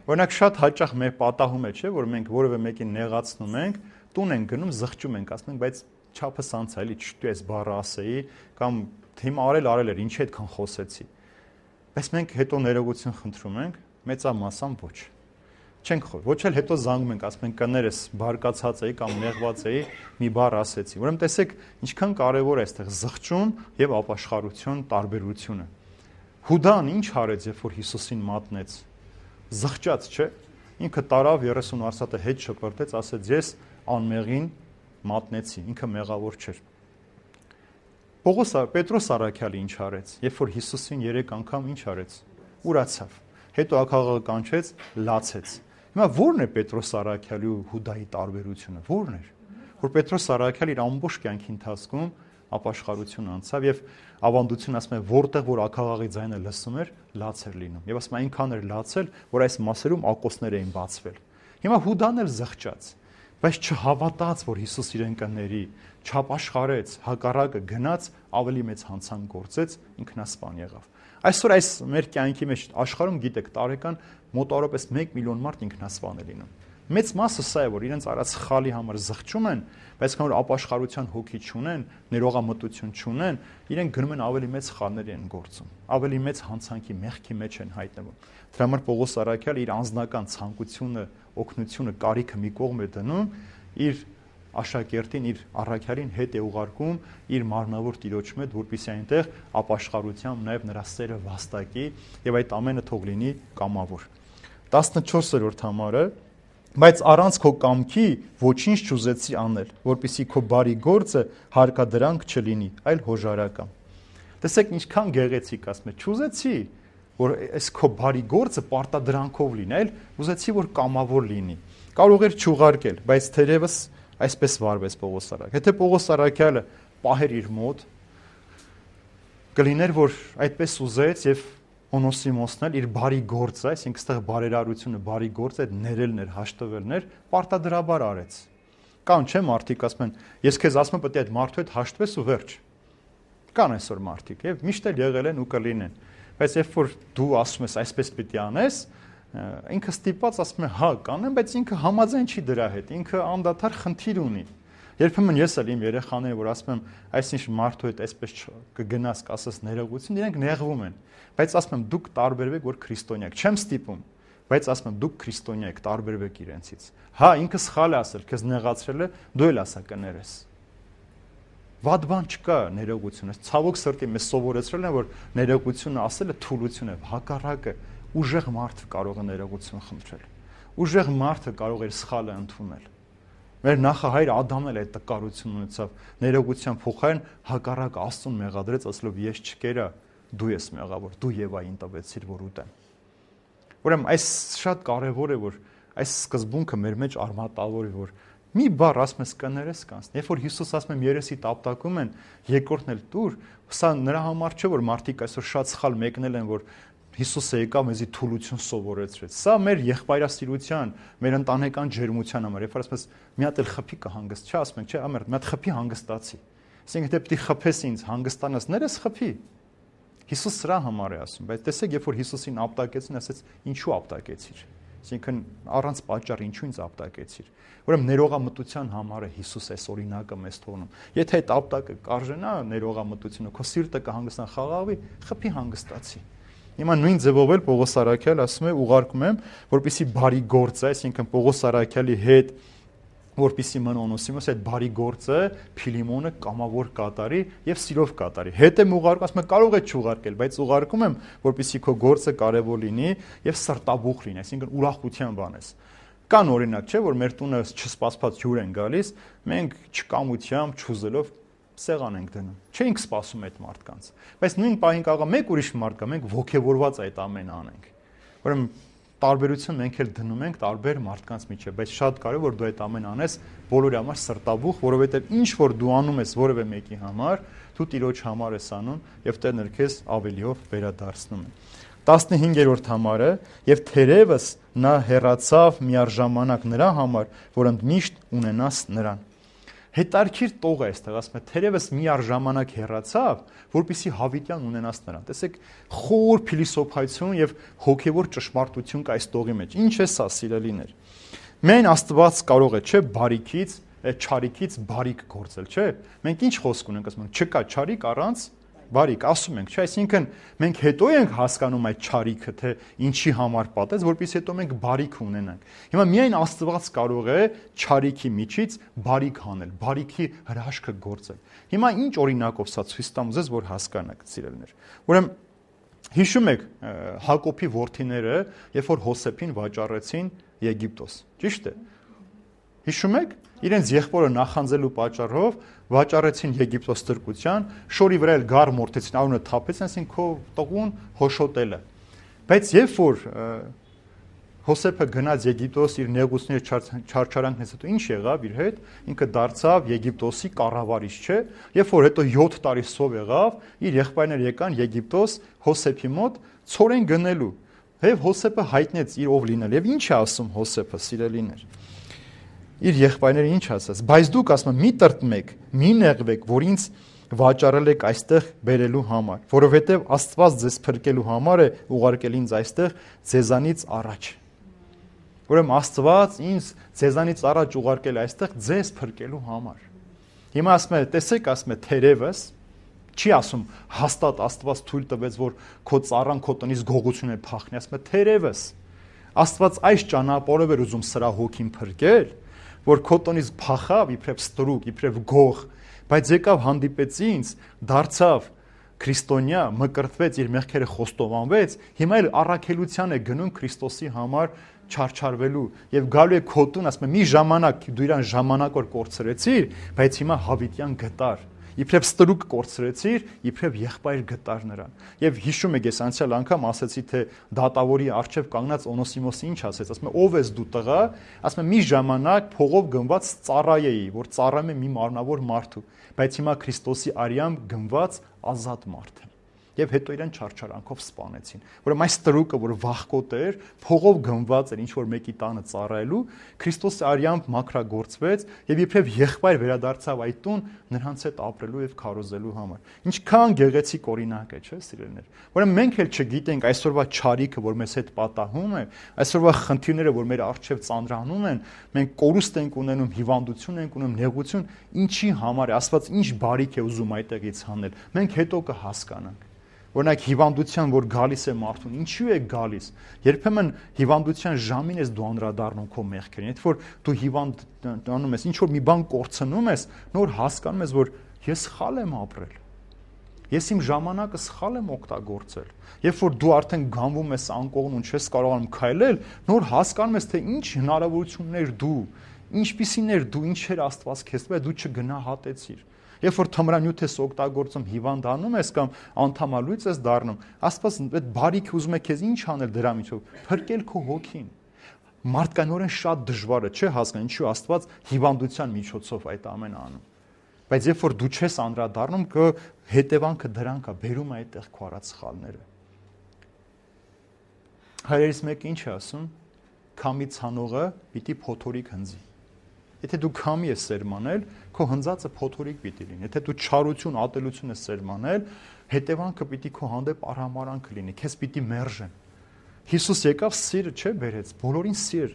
Օրինակ շատ հաճախ մեր պատահում է, չէ, որ մենք որևէ մեկին նեղացնում ենք, տուն ենք գնում, զղջում ենք, ասում ենք, բայց չափս անցա էլի, չտու ես բառը ասեի կամ հիմա արել էր, ինչի այդքան խոսեցի։ Բայց մենք հետո ներողություն խնդրում ենք, մեծամասամբ ոչ։ Չենք խոր, ոչ էլ հետո զանգում ենք, ասում ենք կներես, բարկացած էի կամ նեղված էի, մի բառ ասեցի։ Ուրեմն տեսեք, ինչքան կարևոր է այստեղ զղջում եւ ապաշխարություն տարբերությունը։ Հուդան ինչ արեց, երբ որ Հիսուսին մատնեց։ Զղջաց, չէ՞։ Ինքը տարավ 30 արսատը հետ շպրտեց, ասեց ես անմեղին մատնեցի, ինքը մեղավոր չէր։ Պետրոս առաքյալը ինչ արեց, երբ որ Հիսուսին 3 անգամ ինչ արեց, ուրացավ, հետո ակաղը կանչեց, լացեց։ Հիմա ո՞րն է Պետրոս առաքյալի ու Հուդայի տարբերությունը, ո՞րն էր։ որ Պետրոս Արաքյալը իր ամբողջ կյանքի ընթացքում ապաշխարություն անցավ եւ ավանդություն ասում է որտեղ որ ակաղաղի ձայնը լսում էր, լաց էր լինում։ Եվ ասում է այնքան էր լացել, որ այս մասերում ակոսներ էին բացվել։ Հիմա Հուդան էլ զղջաց, բայց չհավատաց, որ Հիսուս իրեն կների, չապաշխարեց, հակառակը գնաց, ավելի մեծ հանցանք գործեց, ինքնասպան եղավ։ Այսօր այս մեր կյանքի մեջ աշխարհում գիտեք, տարեկան մոտավորապես 1 միլիոն մարդ ինքնասպան է լինում։ Մեծ մասը սա է, որ իրենց արած սխալի համար զղջում են, բայց քան որ ապաշխարության հոգի չունեն, ներողամտություն չունեն, իրենք գնում են ավելի մեծ սխալներ են գործում, ավելի մեծ հանցանքի մեղքի մեջ են հայտնվում։ Դրա համար Պողոս Արաքյալը իր անձնական ցանկությունը, օգնությունը, կարիքը մի կողմ է դնում, իր աշակերտին, իր առաքյալին հետ է ուղարկում իր մարմնավոր տիրոջ մոտ, որպեսզի այնտեղ ապաշխարությամբ նաև նրա սերը վաստակի եւ այդ ամենը թող լինի կամավոր։ 14-րդ համարը Բայց առանց քո կամքի ոչինչ չուզեցի անել, որպեսզի քո բարի գործը հարկադրանք չլինի, այլ հոժարակամ։ Տեսեք ինչքան գեղեցիկ ասում է, չուզեցի, որ այս քո բարի գործը պարտադրանքով լինի, այլ ուզեցի, որ կամավոր լինի։ Կարող էր չուղարկել, բայց թերևս այսպես վարվեց Պողոս Արաքյալը։ Եթե Պողոս Արաքյալը պահեր իր մոտ, կլիներ, որ այդպես ուզեց եւ Օնոսիմոսն էլ իր բարի գործը, այսինքն այստեղ բարերարությունը, բարի գործը, այդ ներելն էր, հաշտվելն էր, պարտադրաբար արեց։ Կան չէ մարդիկ ասում են, ես քեզ ասում եմ, պետք է այդ մարդու հետ հաշտվես ու վերջ։ Կան այսօր մարդիկ, եւ միշտ էլ եղել են ու կլինեն։ Բայց երբ որ դու ասում ես այսպես պիտի անես, ինքը ստիպված ասում է, հա, կանեմ, բայց ինքը համաձայն չի դրա հետ, ինքը անդադար խնդիր ունի։ Երբեմն ես էլ իմ երեխաներին, որ ասում եմ, այսինչ մարդու հետ այսպես կգնաս, կասես ներողություն, իրենք նեղվում են։ Բայց ասում եմ, դուք տարբերվեք, որ քրիստոնյա եք։ Չեմ ստիպում, բայց ասում եմ, դուք քրիստոնյա եք, տարբերվեք իրենցից։ Հա, ինքը սխալ է ասել, քեզ նեղացրել է, դու էլ ասա կներես։ Վատ բան չկա ներողությունը։ Ցավոք սրտի մեզ սովորեցրել են, որ ներողությունը ասելը թուլություն է, հակառակը ուժեղ մարդը կարող է ներողություն խնդրել։ Ուժեղ մարդը կարող է սխալը ընդունել։ Մեր նախահայր Ադամն էլ այդ տկարությունն ունեցավ, ներողության փոխարեն հակառակ Աստծուն մեղադրեց, ասելով ես չկերա, դու ես մեղավոր, դու Եվային տվեցիր, որ ուտեմ։ Ուրեմն այս շատ կարևոր է, որ այս սկզբունքը մեր մեջ արմատավորի, որ մի բառ ասում ես կներես կանցնի։ Երբ որ Հիսուս ասում է երեսի տապտակում են, երկրորդն էլ տուր, սա նրա համար չէ, որ մարդիկ այսօր շատ սխալ մեկնել են, որ Հիսուսը եկավ մեզի թուլություն սովորեցրեց։ Սա մեր եղբայրասիրության, մեր ընտանեկան ջերմության համար, երբ որ ասում ես մի հատ էլ խփի կհանգստ, չէ, ասում ենք, չէ, ամեր, մի հատ խփի հանգստացի։ Ասենք եթե պիտի խփես ինձ, հանգստանաս, ներես խփի։ Հիսուս սրա համար է ասում, բայց տեսեք, երբ որ Հիսուսին ապտակեցին, ասեց, ինչու ապտակեցիր։ Այսինքն առանց պատճառ ինչու ինձ ապտակեցիր։ Ուրեմն ներողամտության համար է Հիսուս այս օրինակը մեզ թողնում։ Եթե այդ ապտակը կարժենա ներողամտությունը, քո սիրտը կհանգստանա, խաղաղվի, խփի հանգստացի։ Հիմա նույն ձևով էլ Պողոս Արաքյալը ասում է, ուղարկում եմ, որպեսզի բարի գործը, այսինքն Պողոս Արաքյալի հետ, որպեսզի մն Օնոսիմոս այդ բարի գործը Փիլիմոնը կամավոր կատարի եւ սիրով կատարի։ Հետ եմ ուղարկում, ասում եմ, կարող է չուղարկել, բայց ուղարկում եմ, որպեսզի քո գործը կարեւոր լինի եւ սրտաբուխ լինի, այսինքն ուրախության բանես։ Կան օրինակ, չէ, որ մեր տունը չսպասված հյուր են գալիս, մենք չկամությամբ, չուզելով սեղան ենք դնում։ Չէինք սպասում այդ մարդկանց։ Բայց նույն պահին կարող է մեկ ուրիշ մարդ գա, մենք ողջևորված այդ ամենը անենք։ Ուրեմն տարբերություն մենք էլ դնում ենք տարբեր մարդկանց միջև, բայց շատ կարևոր որ դու այդ ամենը անես բոլորի համար սրտաբուխ, որովհետև ինչ որ դու անում ես որևէ մեկի համար, դու Տիրոջ համար ես անում եւ Տերն էլ քեզ ավելիով վերադարձնում է։ 15-րդ համարը եւ թերևս նա հեռացավ միառժամանակ նրա համար, որ ընդմիշտ ունենաս նրան։ Հետարքիր տող է այստեղ, ասում է, թերևս միառժամանակ հեռացավ, որպեսզի հավիտյան ունենաս նրան։ Տեսեք, խոր փիլիսոփայություն եւ հոգեվոր ճշմարտություն կա այս տողի մեջ։ Ինչ է սա, սիրելիներ։ Մեն Աստված կարող է, չէ, բարիքից, չարիքից բարիք գործել, չէ։ Մենք ինչ խոսք ունենք, ասում ենք, չկա չարիք առանց բարիք, ասում ենք, չէ, այսինքն մենք հետո ենք հասկանում այդ չարիքը, թե ինչի համար պատեց, որpեսզի հետո մենք բարիք ունենանք։ Հիմա միայն Աստված կարող է չարիքի միջից բարիք անել, բարիքի հրաշքը գործել։ Հիմա ինչ օրինակով սա ցույց տամ ուզես, որ հասկանաք, սիրելիներ։ Ուրեմն հիշում եք Հակոբի որդիները, երբ որ Հոսեփին վաճառեցին Եգիպտոս, ճիշտ է։ Հիշում եք, իրենց եղբորը նախանձելու պատճառով վաճառեցին Եգիպտոս ստրկության, շորի վրա էլ գառ մորթեցին, արունը թափեցին, ասին քո տղուն հոշոտելը։ Բայց երբ որ Հոսեփը գնաց Եգիպտոս իր նեղությունների չարչարանքներից հետո ինչ եղավ իր հետ, ինքը դարձավ Եգիպտոսի կառավարիչ, չէ՞։ Երբ որ հետո 7 տարի սով եղավ, իր եղբայրները եկան Եգիպտոս Հոսեփի մոտ ցորեն գնելու։ Եվ Հոսեփը հայտնեց իր ով լինել։ Եվ ինչ է ասում Հոսեփը, սիրելիներ։ Իր եղբայրները ինչ ասաց. բայց դուք ասում մի տրտմեք, մի նեղվեք, որ ինձ վաճառել եք այստեղ բերելու համար, որովհետև Աստված ձեզ փրկելու համար է ուղարկել ինձ այստեղ ձեզանից առաջ։ Ուրեմն Աստված ինձ ձեզանից առաջ ուղարկել այստեղ ձեզ փրկելու համար։ Հիմա ասում է, տեսեք, ասում է թերևս, չի ասում հաստատ Աստված թույլ տվեց, որ քո ծառան քո տնից գողություն է փախնի, ասում է թերևս Աստված այս ճանապարհով էր ուզում սրա հոգին փրկել, որ քո տնից փախավ իբրև ստրուկ, իբրև գող, բայց եկավ հանդիպեց ինձ, դարձավ քրիստոնյա, մկրտվեց, իր մեղքերը խոստովանվեց, հիմա էլ առաքելության է գնում Քրիստոսի համար չարչարվելու եւ գալու է քո տուն, ասում է մի ժամանակ դու իրան ժամանակ որ կորցրեցիր, բայց հիմա հավիտյան գտար, իբրև ստրուկ կորցրեցիր, իբրև եղբայր գտար նրան։ Եվ հիշում եք, ես անցյալ անգամ ասացի, թե դատավորի առջև կանգնած Օնոսիմոսը ինչ ասեց, ասում է ով ես դու տղա, ասում է մի ժամանակ փողով գնված ծառայեի, որ ծառայում է մի մարմնավոր մարդու, բայց հիմա Քրիստոսի արյամբ գնված ազատ մարդ եմ։ Եվ հետո իրեն չարչարանքով սպանեցին։ Ուրեմն այս ստրուկը, որ վախկոտ էր, փողով գնված էր ինչ որ մեկի տանը ծառայելու, Քրիստոսի արյամբ մաքրագործվեց եւ իբրև եղբայր վերադարձավ այդ տուն նրանց հետ ապրելու եւ քարոզելու համար։ Ինչքան գեղեցիկ օրինակ է, չէ՞, սիրելիներ։ Ուրեմն մենք էլ չգիտենք այսօրվա չարիքը, որ մեզ հետ պատահում է, այսօրվա խնդիրները, որ մեր առջև ծանրանում են, մենք կորուստ ենք ունենում, հիվանդություն ենք ունենում, նեղություն, ինչի համար է, Աստված ինչ բարիք է ուզում այդտեղից հանել։ Մենք հետո կհասկանանք։ Օրինակ հիվանդության, որ գալիս է մարդուն, ինչու է գալիս։ Երբեմն հիվանդության ժամին ես դու անդրադառնում քո մեղքերին, այդ որ դու հիվանդանում ես, ինչ որ մի բան կորցնում ես, նոր հասկանում ես, որ ես սխալ եմ ապրել։ Ես իմ ժամանակը սխալ եմ օգտագործել։ Երբ որ դու արդեն գանվում ես անկողն ու չես կարողանում քայլել, նոր հասկանում ես, թե ինչ հնարավորություններ դու, ինչպիսին էր դու, ինչ էր Աստված քեզ տվել, դու չգնահատեցիր։ Երբ որ թմրանյութ ես օգտագործում, հիվանդանում ես կամ անդամալույց ես դառնում, Աստված այդ բարիքը ուզում է քեզ ինչ անել դրա միջով, փրկել քո հոգին։ Մարդկանորեն շատ դժվար է, չէ՞ հասկանալ, ինչու Աստված հիվանդության միջոցով այդ ամենը անում։ Բայց երբ որ դու չես անդրադառնում, հետևանքը դրանք է, բերում է այդտեղ քո արած սխալները։ Հայրերից մեկը ինչ է ասում, քամի ցանողը պիտի փոթորիկ հնձի։ Եթե դու քամի ես սերմանել, քո հնձածը փոթորիկ պիտի լինի։ Եթե դու չարություն, ատելություն ես սերմանել, հետևանքը պիտի քո հանդեպ արհամարանք լինի, քեզ պիտի մերժեն։ Հիսուս եկավ սիրը, չէ՞, բերեց, բոլորին սիր,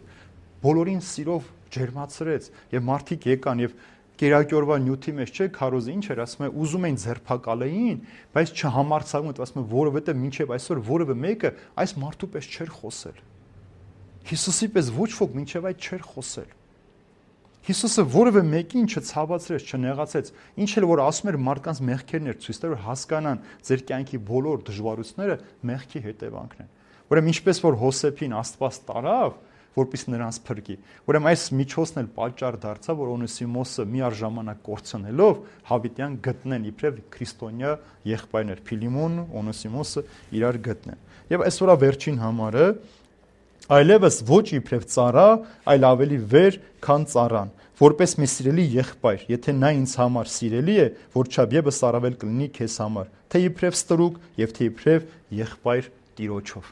բոլորին սիրով ջերմացրեց, եւ մարդիկ եկան եւ կերակյորվա նյութի մեջ, չէ՞, քարոզը ինչ էր, ասում է, ուզում էին ձերբակալեին, բայց չհամարցակում, ասում է, որովհետեւ մինչեւ այսօր որևէ մեկը այս մարդու պես չէր խոսել։ Հիսուսի պես ոչ ոք մինչեւ այդ չէր խոսել։ Հիսուսը որևէ մեկին չցավացրեց, չնեղացեց, ինչ էլ որ ասում էր մարդկանց մեղքերն էր ցույց տալու, որ հասկանան ձեր կյանքի բոլոր դժվարությունները մեղքի հետևանքն են։ Ուրեմն ինչպես որ Հոսեփին Աստված տարավ, որպես նրանց փրկի, ուրեմն այս միջոցն էլ պատճառ դարձավ, որ Օնեսիմոսը միառժամանակ կորցնելով հավիտյան գտնեն իբրև քրիստոնյա եղբայրներ, Փիլիմոնն ու Օնեսիմոսը իրար գտնեն։ Եվ այսօրվա վերջին համարը այլևս ոչ իբրև ծառա, այլ ավելի վեր, քան ծառան, որպես մի սիրելի եղբայր, եթե նա ինձ համար սիրելի է, որչափ եւս առավել կլինի քեզ համար, թե իբրև ստրուկ եւ թե իբրև եղբայր Տիրոջով։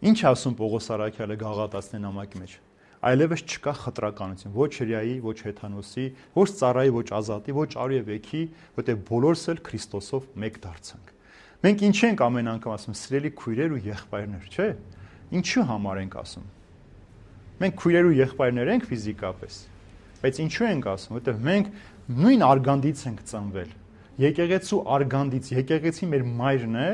Ինչ ասում Պողոս Արաքյալը Գաղատացիների նամակի մեջ։ Այլևս չկա խտրականություն, ոչ հրեայի, ոչ հեթանոսի, ոչ ծառայի, ոչ ազատի, ոչ արու եւ եկի, որտեղ բոլորս էլ Քրիստոսով մեկ դարձանք։ Մենք ինչ ենք ամեն անգամ ասում, սիրելի քույրեր ու եղբայրներ, չէ՞։ Ինչու համար ենք ասում։ Մենք քույրեր ու եղբայրներ ենք ֆիզիկապես, բայց ինչու ենք ասում, որտեղ մենք նույն արգանդից ենք ծնվել։ Եկեղեցու արգանդից, եկեղեցի մեր մայրն է,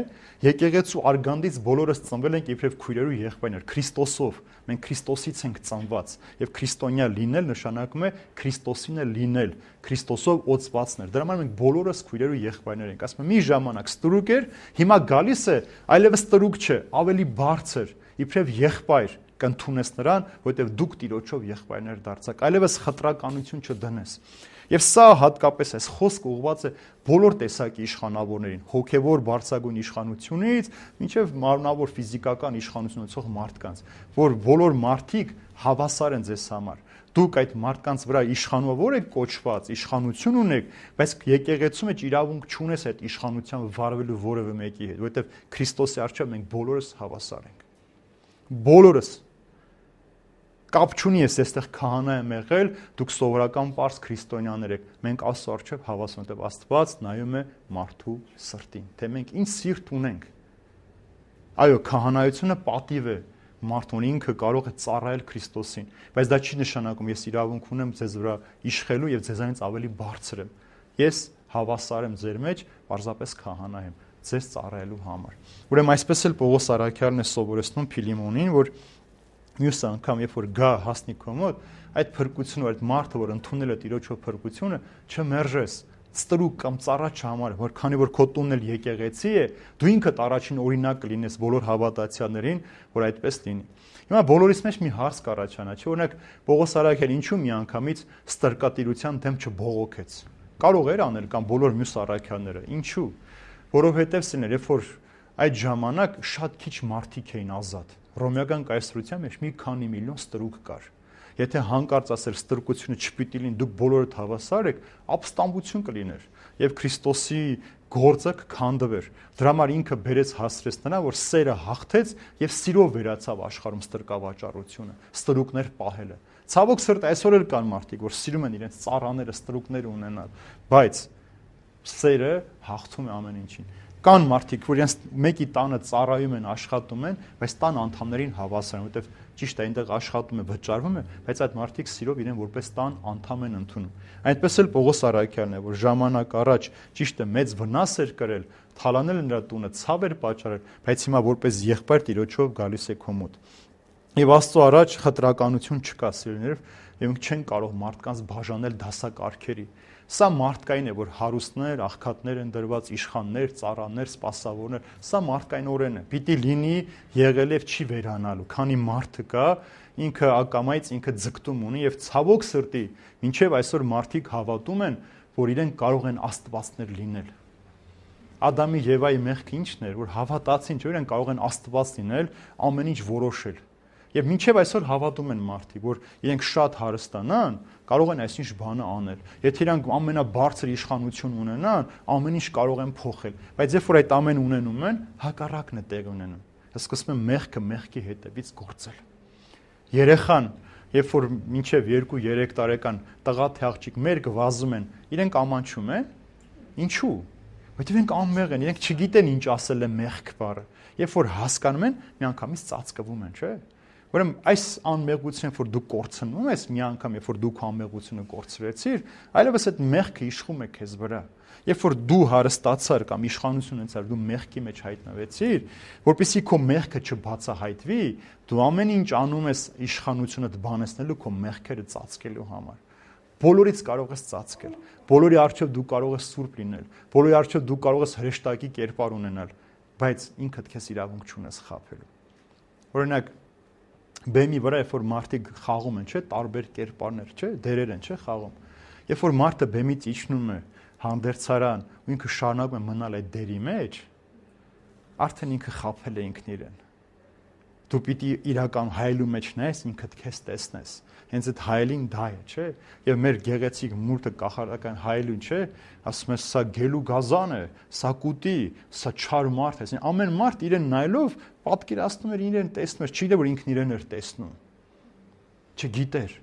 եկեղեցու արգանդից բոլորս ծնվել ենք իբրև քույրեր ու եղբայրներ, Քրիստոսով, մենք Քրիստոսից ենք ծնված, եւ քրիստոնյա լինել նշանակում է Քրիստոսին է լինել, Քրիստոսով օծվածներ։ Դրա համար մենք բոլորս քույրեր ու եղբայրներ ենք։ Ասում եմ, մի ժամանակ ստրուկ էր, հիմա գալիս է, այլևս ստրուկ չէ, ավելի բարձր, իբրև եղբայր կընդունես նրան, որովհետև դուք Տիրոջով եղբայրներ դարձաք, այլևս խտրականություն չդնես։ Եվ սա հատկապես այս խոսքը ուղղված է բոլոր տեսակի իշխանավորներին, հոգևոր բարձրագույն իշխանությունից մինչև մարմնավոր ֆիզիկական իշխանություն ունեցող մարդկանց, որ բոլոր մարդիկ հավասար են ձեզ համար։ Դուք այդ մարդկանց վրա իշխանավոր եք կոչված, իշխանություն ունեք, բայց եկեղեցու մեջ իրավունք չունես այդ իշխանությամբ վարվելու որևէ մեկի հետ, որովհետև Քրիստոսի առջև մենք բոլորս հավասար ենք։ Բոլորս կապ չունի, ես այստեղ քահանա եմ եղել, դուք սովորական պարզ քրիստոնյաներ եք, մենք Աստծո առջև հավասար ենք, Աստված նայում է մարդու սրտին, թե մենք ինչ սիրտ ունենք։ Այո, քահանայությունը պատիվ է, մարդուն ինքը կարող է ծառայել Քրիստոսին, բայց դա չի նշանակում ես իրավունք ունեմ ձեզ վրա իշխելու եւ ձեզանից ավելի բարձր եմ։ Ես հավասար եմ ձեր մեջ, պարզապես քահանա եմ ձեզ ծառայելու համար։ Ուրեմն այսպես էլ Պողոս առաքյալն է սովորեցնում Փիլիմոնին, որ մյուս անգամ երբ որ գա հասնի քո մոտ, այդ փրկությունը, այդ մարդը, որ ընդունել է Տիրոջով փրկությունը, չմերժես, ստրուկ կամ ծառա չհամար, որ քանի որ քո տունն էլ եկեղեցի է, դու ինքդ առաջին օրինակ կլինես բոլոր հավատացյալներին, որ այդպես լինի։ Հիմա բոլորիս մեջ մի հարց կառաջանա, չէ՞, օրինակ Պողոս առաքյալը ինչու միանգամից ստրկատիրության դեմ չբողոքեց։ Կարող էր անել կամ բոլոր մյուս առաքյալները, ինչու՞։ Որովհետև սիներ, երբ որ այդ ժամանակ շատ քիչ մարդիկ էին ազատ։ Ռոմեական կայսրության մեջ մի քանի միլիոն ստրուկ կար։ Եթե հանկարծ ասել ստրկությունը չպիտի լինի, դուք բոլորդ հավասար եք, ապստամբություն կլիներ եւ Քրիստոսի գործը կքանդվեր։ Դրա համար ինքը բերեց հասրեց նրան, որ սերը հաղթեց եւ սիրով վերացավ աշխարհում ստրկավաճառությունը, ստրուկներ պահելը։ Ցավոք սրտի այսօր էլ կան մարդիկ, որ սիրում են իրենց ծառաները, ստրուկները ունենալ, բայց սերը հաղթում է ամեն ինչին։ Կան մարդիկ, որ իրենց մեկի տանը ծառայում են, աշխատում են, բայց տան անդամներին հավասար են, որովհետև ճիշտ է այնտեղ աշխատում է, վճարվում է, բայց այդ մարդիկ սիրով իրեն որպես տան անդամ են ընդունում։ Այնպես էլ Պողոս առաքյալն է, որ ժամանակ առաջ ճիշտ է մեծ վնաս էր կրել, թալանել նրա տունը, ցավ էր պատճառել, բայց հիմա որպես եղբայր Տիրոջով գալիս է քո մոտ։ Եվ Աստծո առաջ խտրականություն չկա, սիրելիներ, եւ մենք չենք կարող մարդկանց բաժանել դասակարգերի։ Սա մարդկային է, որ հարուստներ, աղքատներ են դրված, իշխաններ, ծառաներ, սպասավորներ, սա մարդկայնորեն է։ Պիտի լինի, եղել եւ չի վերանալու, քանի մարդը կա, ինքը ակամայից ինքը ձգտում ունի եւ ցավոք սրտի, մինչեւ այսօր մարդիկ հավատում են, որ իրենք կարող են աստվածներ լինել։ Ադամի Եվայի մեղքը ի՞նչն էր, որ հավատացին, չէ՞ իրենք կարող են աստված լինել, ամեն ինչ որոշել։ Եվ մինչև այսօր հավատում են մարդիկ, որ իրենք շատ հարստանան, կարող են այսինչ բանը անել։ Եթե իրանք ամենաբարձր իշխանություն ունենան, ամեն ինչ կարող են փոխել, բայց երբ որ այդ ամեն ունենում են, հակառակն է տեղ ունենում։ Սկսում են մեղքը մեղքի հետևից գործել։ Երեխան, երբ որ մինչև 2-3 տարեկան տղա թե աղջիկ մերկ վազում են, իրենք ամանչում են։ Ինչու՞։ Որտեղ իրենք անմեղ են, իրենք չգիտեն ինչ ասել է մեղք բառը։ Երբ որ հասկանում են, միանգամից ծածկվում են, չէ՞։ Ուրեմն այս անմեղությունը, որ դու կորցնում ես մի անգամ, երբ որ դու քո անմեղությունը կորցրեցիր, այլևս այդ մեղքը իշխում է քեզ վրա։ Երբ որ դու հարստացար կամ իշխանություն ունեցար, դու մեղքի մեջ հայտնվեցիր, որպեսզի քո մեղքը չբացահայտվի, դու ամեն ինչ անում ես իշխանությունդ բանեցնելու քո մեղքերը ծածկելու համար։ Բոլորից կարող ես ծածկել։ Բոլորի առջև դու կարող ես սուրբ լինել։ Բոլորի առջև դու կարող ես հրեշտակի կերպար ունենալ, բայց ինքդ քեզ իրավունք չունես խաբելու։ Օրինակ բեմի վրա, երբ որ մարդիկ խաղում են, չէ, տարբեր կերպարներ, չէ, դերեր են, չէ, խաղում։ Երբ որ մարդը բեմից իջնում է հանդերձարան ու ինքը շարունակում է մնալ այդ դերի մեջ, արդեն ինքը խաբել է ինքն իրեն։ Դու պիտի իրական հայելու մեջ նայես, ինքդ քեզ տեսնես։ Հենց այդ հայելին դա է, չէ։ Եվ մեր գեղեցիկ մուրտը կախարդական հայելուն, չէ, ասում է սա գելու գազան է, սա կուտի, սա չար մարդ է։ Ամեն մարդ իրեն նայելով պատկերացնում էր իրեն տեսնում էր, չի դե որ ինքն իրեն էր տեսնում։ Չգիտեր։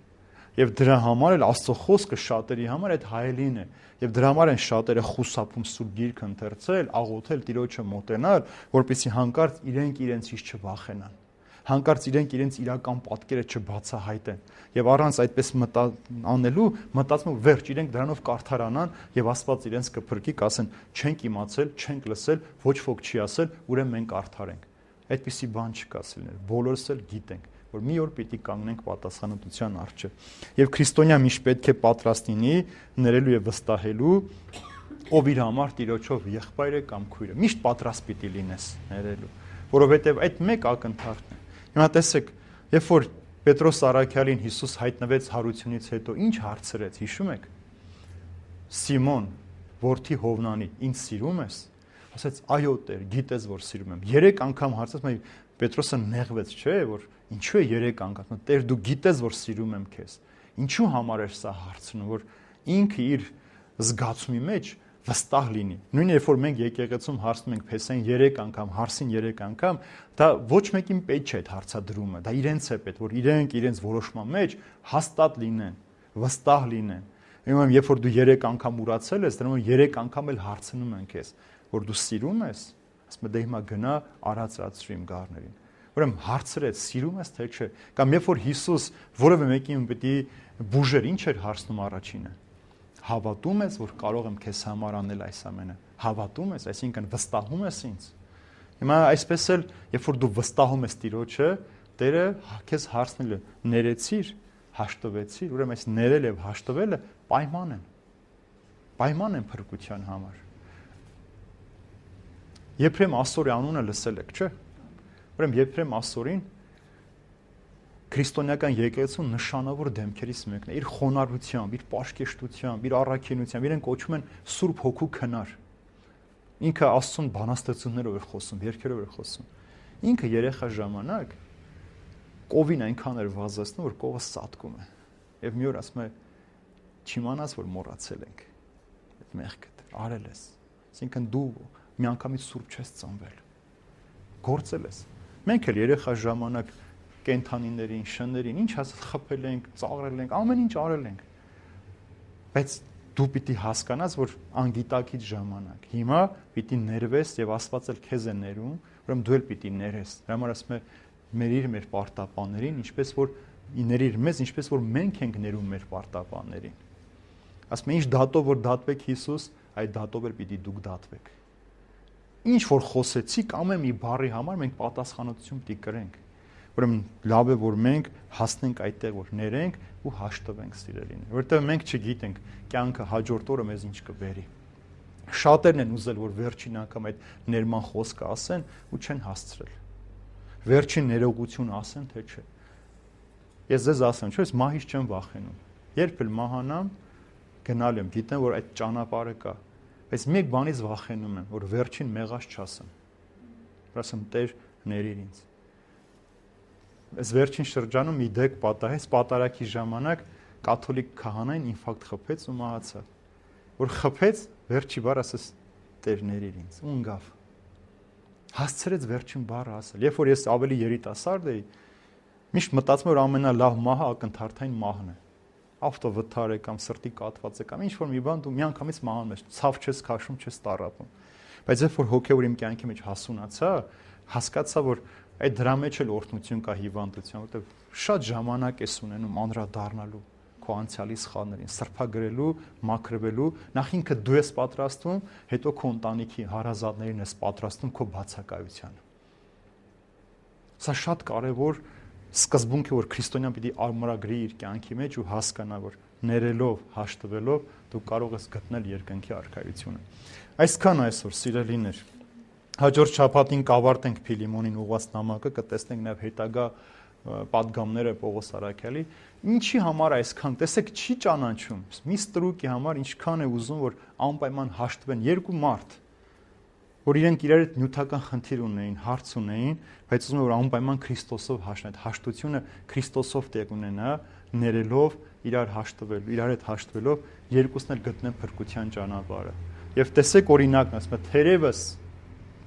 Եվ դրա համար էլ Աստծո խոսքը շատերի համար այդ հայելին է։ Եվ դրա համար են շատերը խուսափում Սուրբ Գիրքը ընթերցել, աղոթել, Տիրոջը մոտենալ, որպեսզի հանկարծ իրենք իրենցից չվախենան։ Հանկարծ իրենք իրենց իրական պատկերը չբացահայտեն եւ առանց այդպես անելու մտածում վերջ իրենք դրանով կարթարանան եւ Աստված իրենց կփրկի, կասեն չենք իմացել, չենք լսել, ոչ ոք չի ասել, ուրեմն մենք արդար ենք։ Այդպիսի բան չկա սիրելիներ, բոլորս էլ գիտենք, որ մի օր պիտի կանգնենք պատասխանատվության առջև։ Եվ քրիստոնյա միշտ պետք է պատրաստ լինի ներելու եւ վստահելու, ով իր համար Տիրոջով եղբայր է կամ քույր է։ Միշտ պատրաստ պիտի լինես ներելու, որովհետեւ այդ մեկ ակնթարթն է։ Հիմա տեսեք, երբ որ Պետրոս առաքյալին Հիսուս հայտնվեց հարությունից հետո, ինչ հարցրեց, հիշում եք։ Սիմոն, որդի Հովնանի, ինձ սիրում ես։ Ասաց, այո Տեր, գիտես որ սիրում եմ։ 3 անգամ հարցրեց, Պետրոսը նեղվեց, չէ, որ ինչու է 3 անգամ։ Տեր, դու գիտես որ սիրում եմ քեզ։ Ինչու համար էր սա հարցնում, որ ինքը իր զգացումի մեջ վստահ լինի։ Նույն երբ որ մենք եկեղեցում հարցնում ենք Փեսային 3 անգամ, հարցին 3 անգամ, դա ոչ մեկին պետք չէ այդ հարցադրումը, դա իրենց է պետք, որ իրենք իրենց որոշման մեջ հաստատ լինեն, վստահ լինեն։ Ուրեմն երբ որ դու 3 անգամ ուրացել ես, դրանով 3 անգամ էլ հարցնում են քեզ, որ դու սիրում ես, ասում դե հիմա գնա արածրացրու իմ գառներին։ Ուրեմն հարցրեց, սիրում ես թե չէ։ Կամ երբ որ Հիսուս որևէ մեկին պիտի բուժեր, ինչ էր հարցնում առաջինը։ Հավատում ես, որ կարող եմ քեզ համար անել այս ամենը։ Հավատում ես, այսինքն վստահում ես ինձ։ Հիմա այսպես էլ, երբ որ դու վստահում ես Տիրոջը, Տերը քեզ հարցնել է, ներեցիր, հաշտվեցիր, ուրեմն այս ներել եւ հաշտվելը պայման են։ Պայման են փրկության համար։ Եփրեմ Ասորի անունը լսել եք, չէ՞։ Ուրեմն Եփրեմ Ասորին քրիստոնեական եկեղեցու նշանավոր դեմքերից մեկն է, իր խոնարհությամբ, իր պաշկեշտությամբ, իր առաքինությամբ, իրեն կոչում են Սուրբ Հոգու քնար։ Ինքը Աստծուն բանաստեղծություններով էր խոսում, երգերով էր խոսում։ Ինքը երեխա ժամանակ կովին այնքան էր վազեցնում, որ կովը սատկում է։ Եվ մի օր ասում է, չիմանաս, որ մոռացել ենք այդ մեղքը, արել ես։ Այսինքն դու միանգամից սուրբ չես ծնվել։ Գործել ես։ Մենք էլ երեխա ժամանակ կենթանիներին, շներին, ինչ ասած խփել ենք, ծաղրել ենք, ամեն ինչ արել ենք։ Բայց դու պիտի հասկանաս, որ անգիտակից ժամանակ։ Հիմա պիտի ներվես եւ Աստված էլ քեզ է ներում, ուրեմն դու էլ պիտի ներես։ Դրա համար ասում է ներիր մեր պարտապաններին, ինչպես որ ներիր մեզ, ինչպես որ մենք ենք ներում մեր պարտապաններին։ Ասում է ինչ դատով որ դատվեք Հիսուս, այդ դատով էլ պիտի դուք դատվեք։ Ինչ որ խոսեցիք, ամեն մի բառի համար մենք պատասխանատվություն պիտի կրենք։ Ուրեմն լավ է որ մենք հասնենք այդտեղ որ ներենք ու հաշտվենք սիրելին, որովհետև մենք չգիտենք կյանքը հաջորդ օրը մեզ ինչ կբերի։ Շատերն են ուզել որ վերջին անգամ այդ ներման խոսքը ասեն ու չեն հասցրել։ Վերջին ներողություն ասեն թե չէ։ Ես ձեզ ասեմ, չէ՞, ես մահից չեմ վախենում։ Երբ էլ մահանամ, գնալ եմ, գիտեմ որ այդ ճանապարհը կա, բայց մեկ բանից վախենում եմ, որ վերջին մեղած չասեմ։ Ասեմ Տեր ներիր ինձ։ Այս վերջին շրջանում մի դեպք պատահեց, պատարակի ժամանակ կաթոլիկ քահանային ինֆարկտ խփեց ու մահացավ։ Որ խփեց, վերջի բառ ասես Տեր ներիր ինձ, ու ընկավ։ Հասցրեց վերջին բառը ասել։ Երբ որ ես ավելի երիտասարդ էի, միշտ մտածում որ ամենալավ մահը ակնթարթային մահն է։ Ավտովթար է կամ սրտի կաթված է կամ ինչ որ մի բան դու միանգամից մահանում ես, ցավ չես քաշում, չես տառապում։ Բայց երբ որ հոգեոր իմ կյանքի մեջ հասունացա, հասկացա որ այդ դրա մեջ էլ օրհնություն կա հիվանդության, որտեղ շատ ժամանակ ես ունենում անդրադառնալու քո անցյալի սխալներին, սրբագրելու, մաքրվելու, նախ ինքը դու ես պատրաստվում, հետո քո ընտանիքի հարազատներին ես պատրաստում քո բացակայությանը։ Սա շատ կարևոր սկզբունք է, որ քրիստոնյան պիտի արմարագրի իր կյանքի մեջ ու հասկանա, որ ներելով, հաշտվելով դու կարող ես գտնել երկնքի արքայությունը։ Այսքան այսօր սիրելիներ։ Հաջորդ շաբաթին կավարտենք Փիլիմոնին ուղղված նամակը, կտեսնենք նաև հետագա պատգամները Պողոս Արաքյալի։ Ինչի համար այսքան, տեսեք, չի ճանաչում։ Մի ստրուկի համար ինչքան է ուզում, որ անպայման հաշտվեն երկու մարդ, որ իրենք իրար հետ նյութական խնդիր ունեին, հարց ունեին, բայց ուզում որ անպայման Քրիստոսով հաշտվեն, այդ հաշտությունը Քրիստոսով տեղ ունենա, ներելով, իրար հաշտվելու, իրար հետ հաշտվելով, երկուսն էլ գտնեն փրկության ճանապարհը։ Եվ տեսեք օրինակն, ասում է, թերևս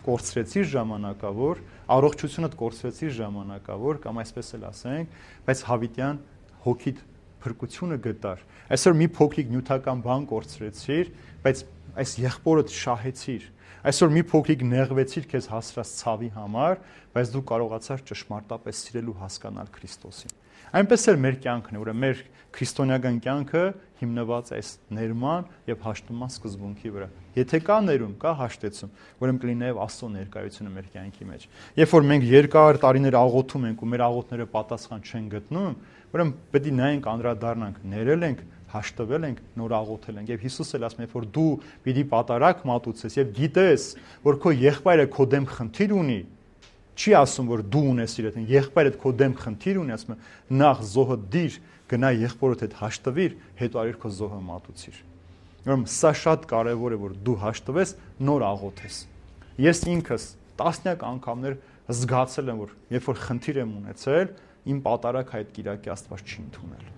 կորցրեցիր ժամանակավոր, առողջությունդ կորցրեցիր ժամանակավոր, կամ այսպես էլ ասենք, բայց հավիտյան հոգիդ փրկությունը գտար։ Այսօր մի փոքրիկ նյութական բան կորցրեցիր, բայց այս եղբորդ շահեցիր։ Այսօր մի փոքրիկ նեղվեցիր քեզ հասրած ցավի համար, բայց դու կարողացար ճշմարտապես սիրել ու հասկանալ Քրիստոսին։ Այնպես էլ մեր կյանքն է, ուրեմն մեր քրիստոնեական կյանքը հիմնված է այս ներման եւ հաշտման սկզբունքի վրա։ Եթե կա ներում, կա հաշտեցում, ուրեմն կլինի նաեւ Աստծո ներկայությունը մեր կյանքի մեջ։ Երբ որ մենք երկար տարիներ աղոթում ենք ու մեր աղոթները պատասխան չեն գտնում, ուրեմն պետք է նայենք անդրադառնանք, ներել ենք, հաշտվել ենք, նոր աղոթել ենք։ Եվ Հիսուսը ասում է, որ դու պիտի պատարակ մատուցես եւ գիտես, որ քո եղբայրը քո դեմ խնդիր ունի, չի ասում, որ դու ունես իր հետ, եղբայրդ քո դեմ խնդիր ունի, ասում է, նախ զոհը դիր, գնա եղբորդ հետ հաշտվիր, հետո արիր քո զոհը մատուցիր։ Ուրեմն սա շատ կարևոր է, որ դու հաշտվես, նոր աղոթես։ Ես ինքս տասնյակ անգամներ զգացել եմ, որ երբ որ խնդիր եմ ունեցել, իմ պատարագ այդ Կիրակի Աստված չի ընդունել։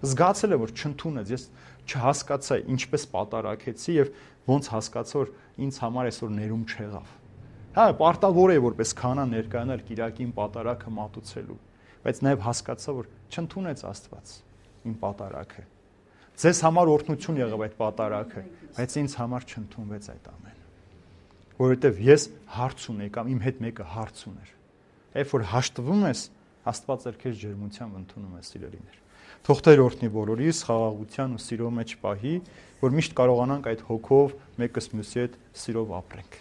Զգացել եմ, որ չընդունեց, ես չհասկացա ինչպես պատարագեցի եւ ոնց հասկացա, որ ինձ համար այսօր ներում չեղավ։ Հա, պարտավոր է որպես քահանա ներկայանալ Կիրակին պատարագը մատուցելու, բայց նաեւ հասկացա, որ չընդունեց Աստված իմ պատարագը։ Ձեզ համար օրհնություն եղավ այդ պատարագը, բայց ինձ համար չընդունվեց այդ ամենը։ Որովհետեւ ես հարց ունեի կամ իմ հետ մեկը հարց ուներ։ Երբ որ հաշտվում ես, Աստված էլ քեզ ջերմությամբ ընդունում է, սիրելիներ։ Թող Տեր օրհնի բոլորիս, խաղաղության ու սիրո մեջ պահի, որ միշտ կարողանանք այդ հոգով մեկս մյուսի հետ սիրով ապրենք։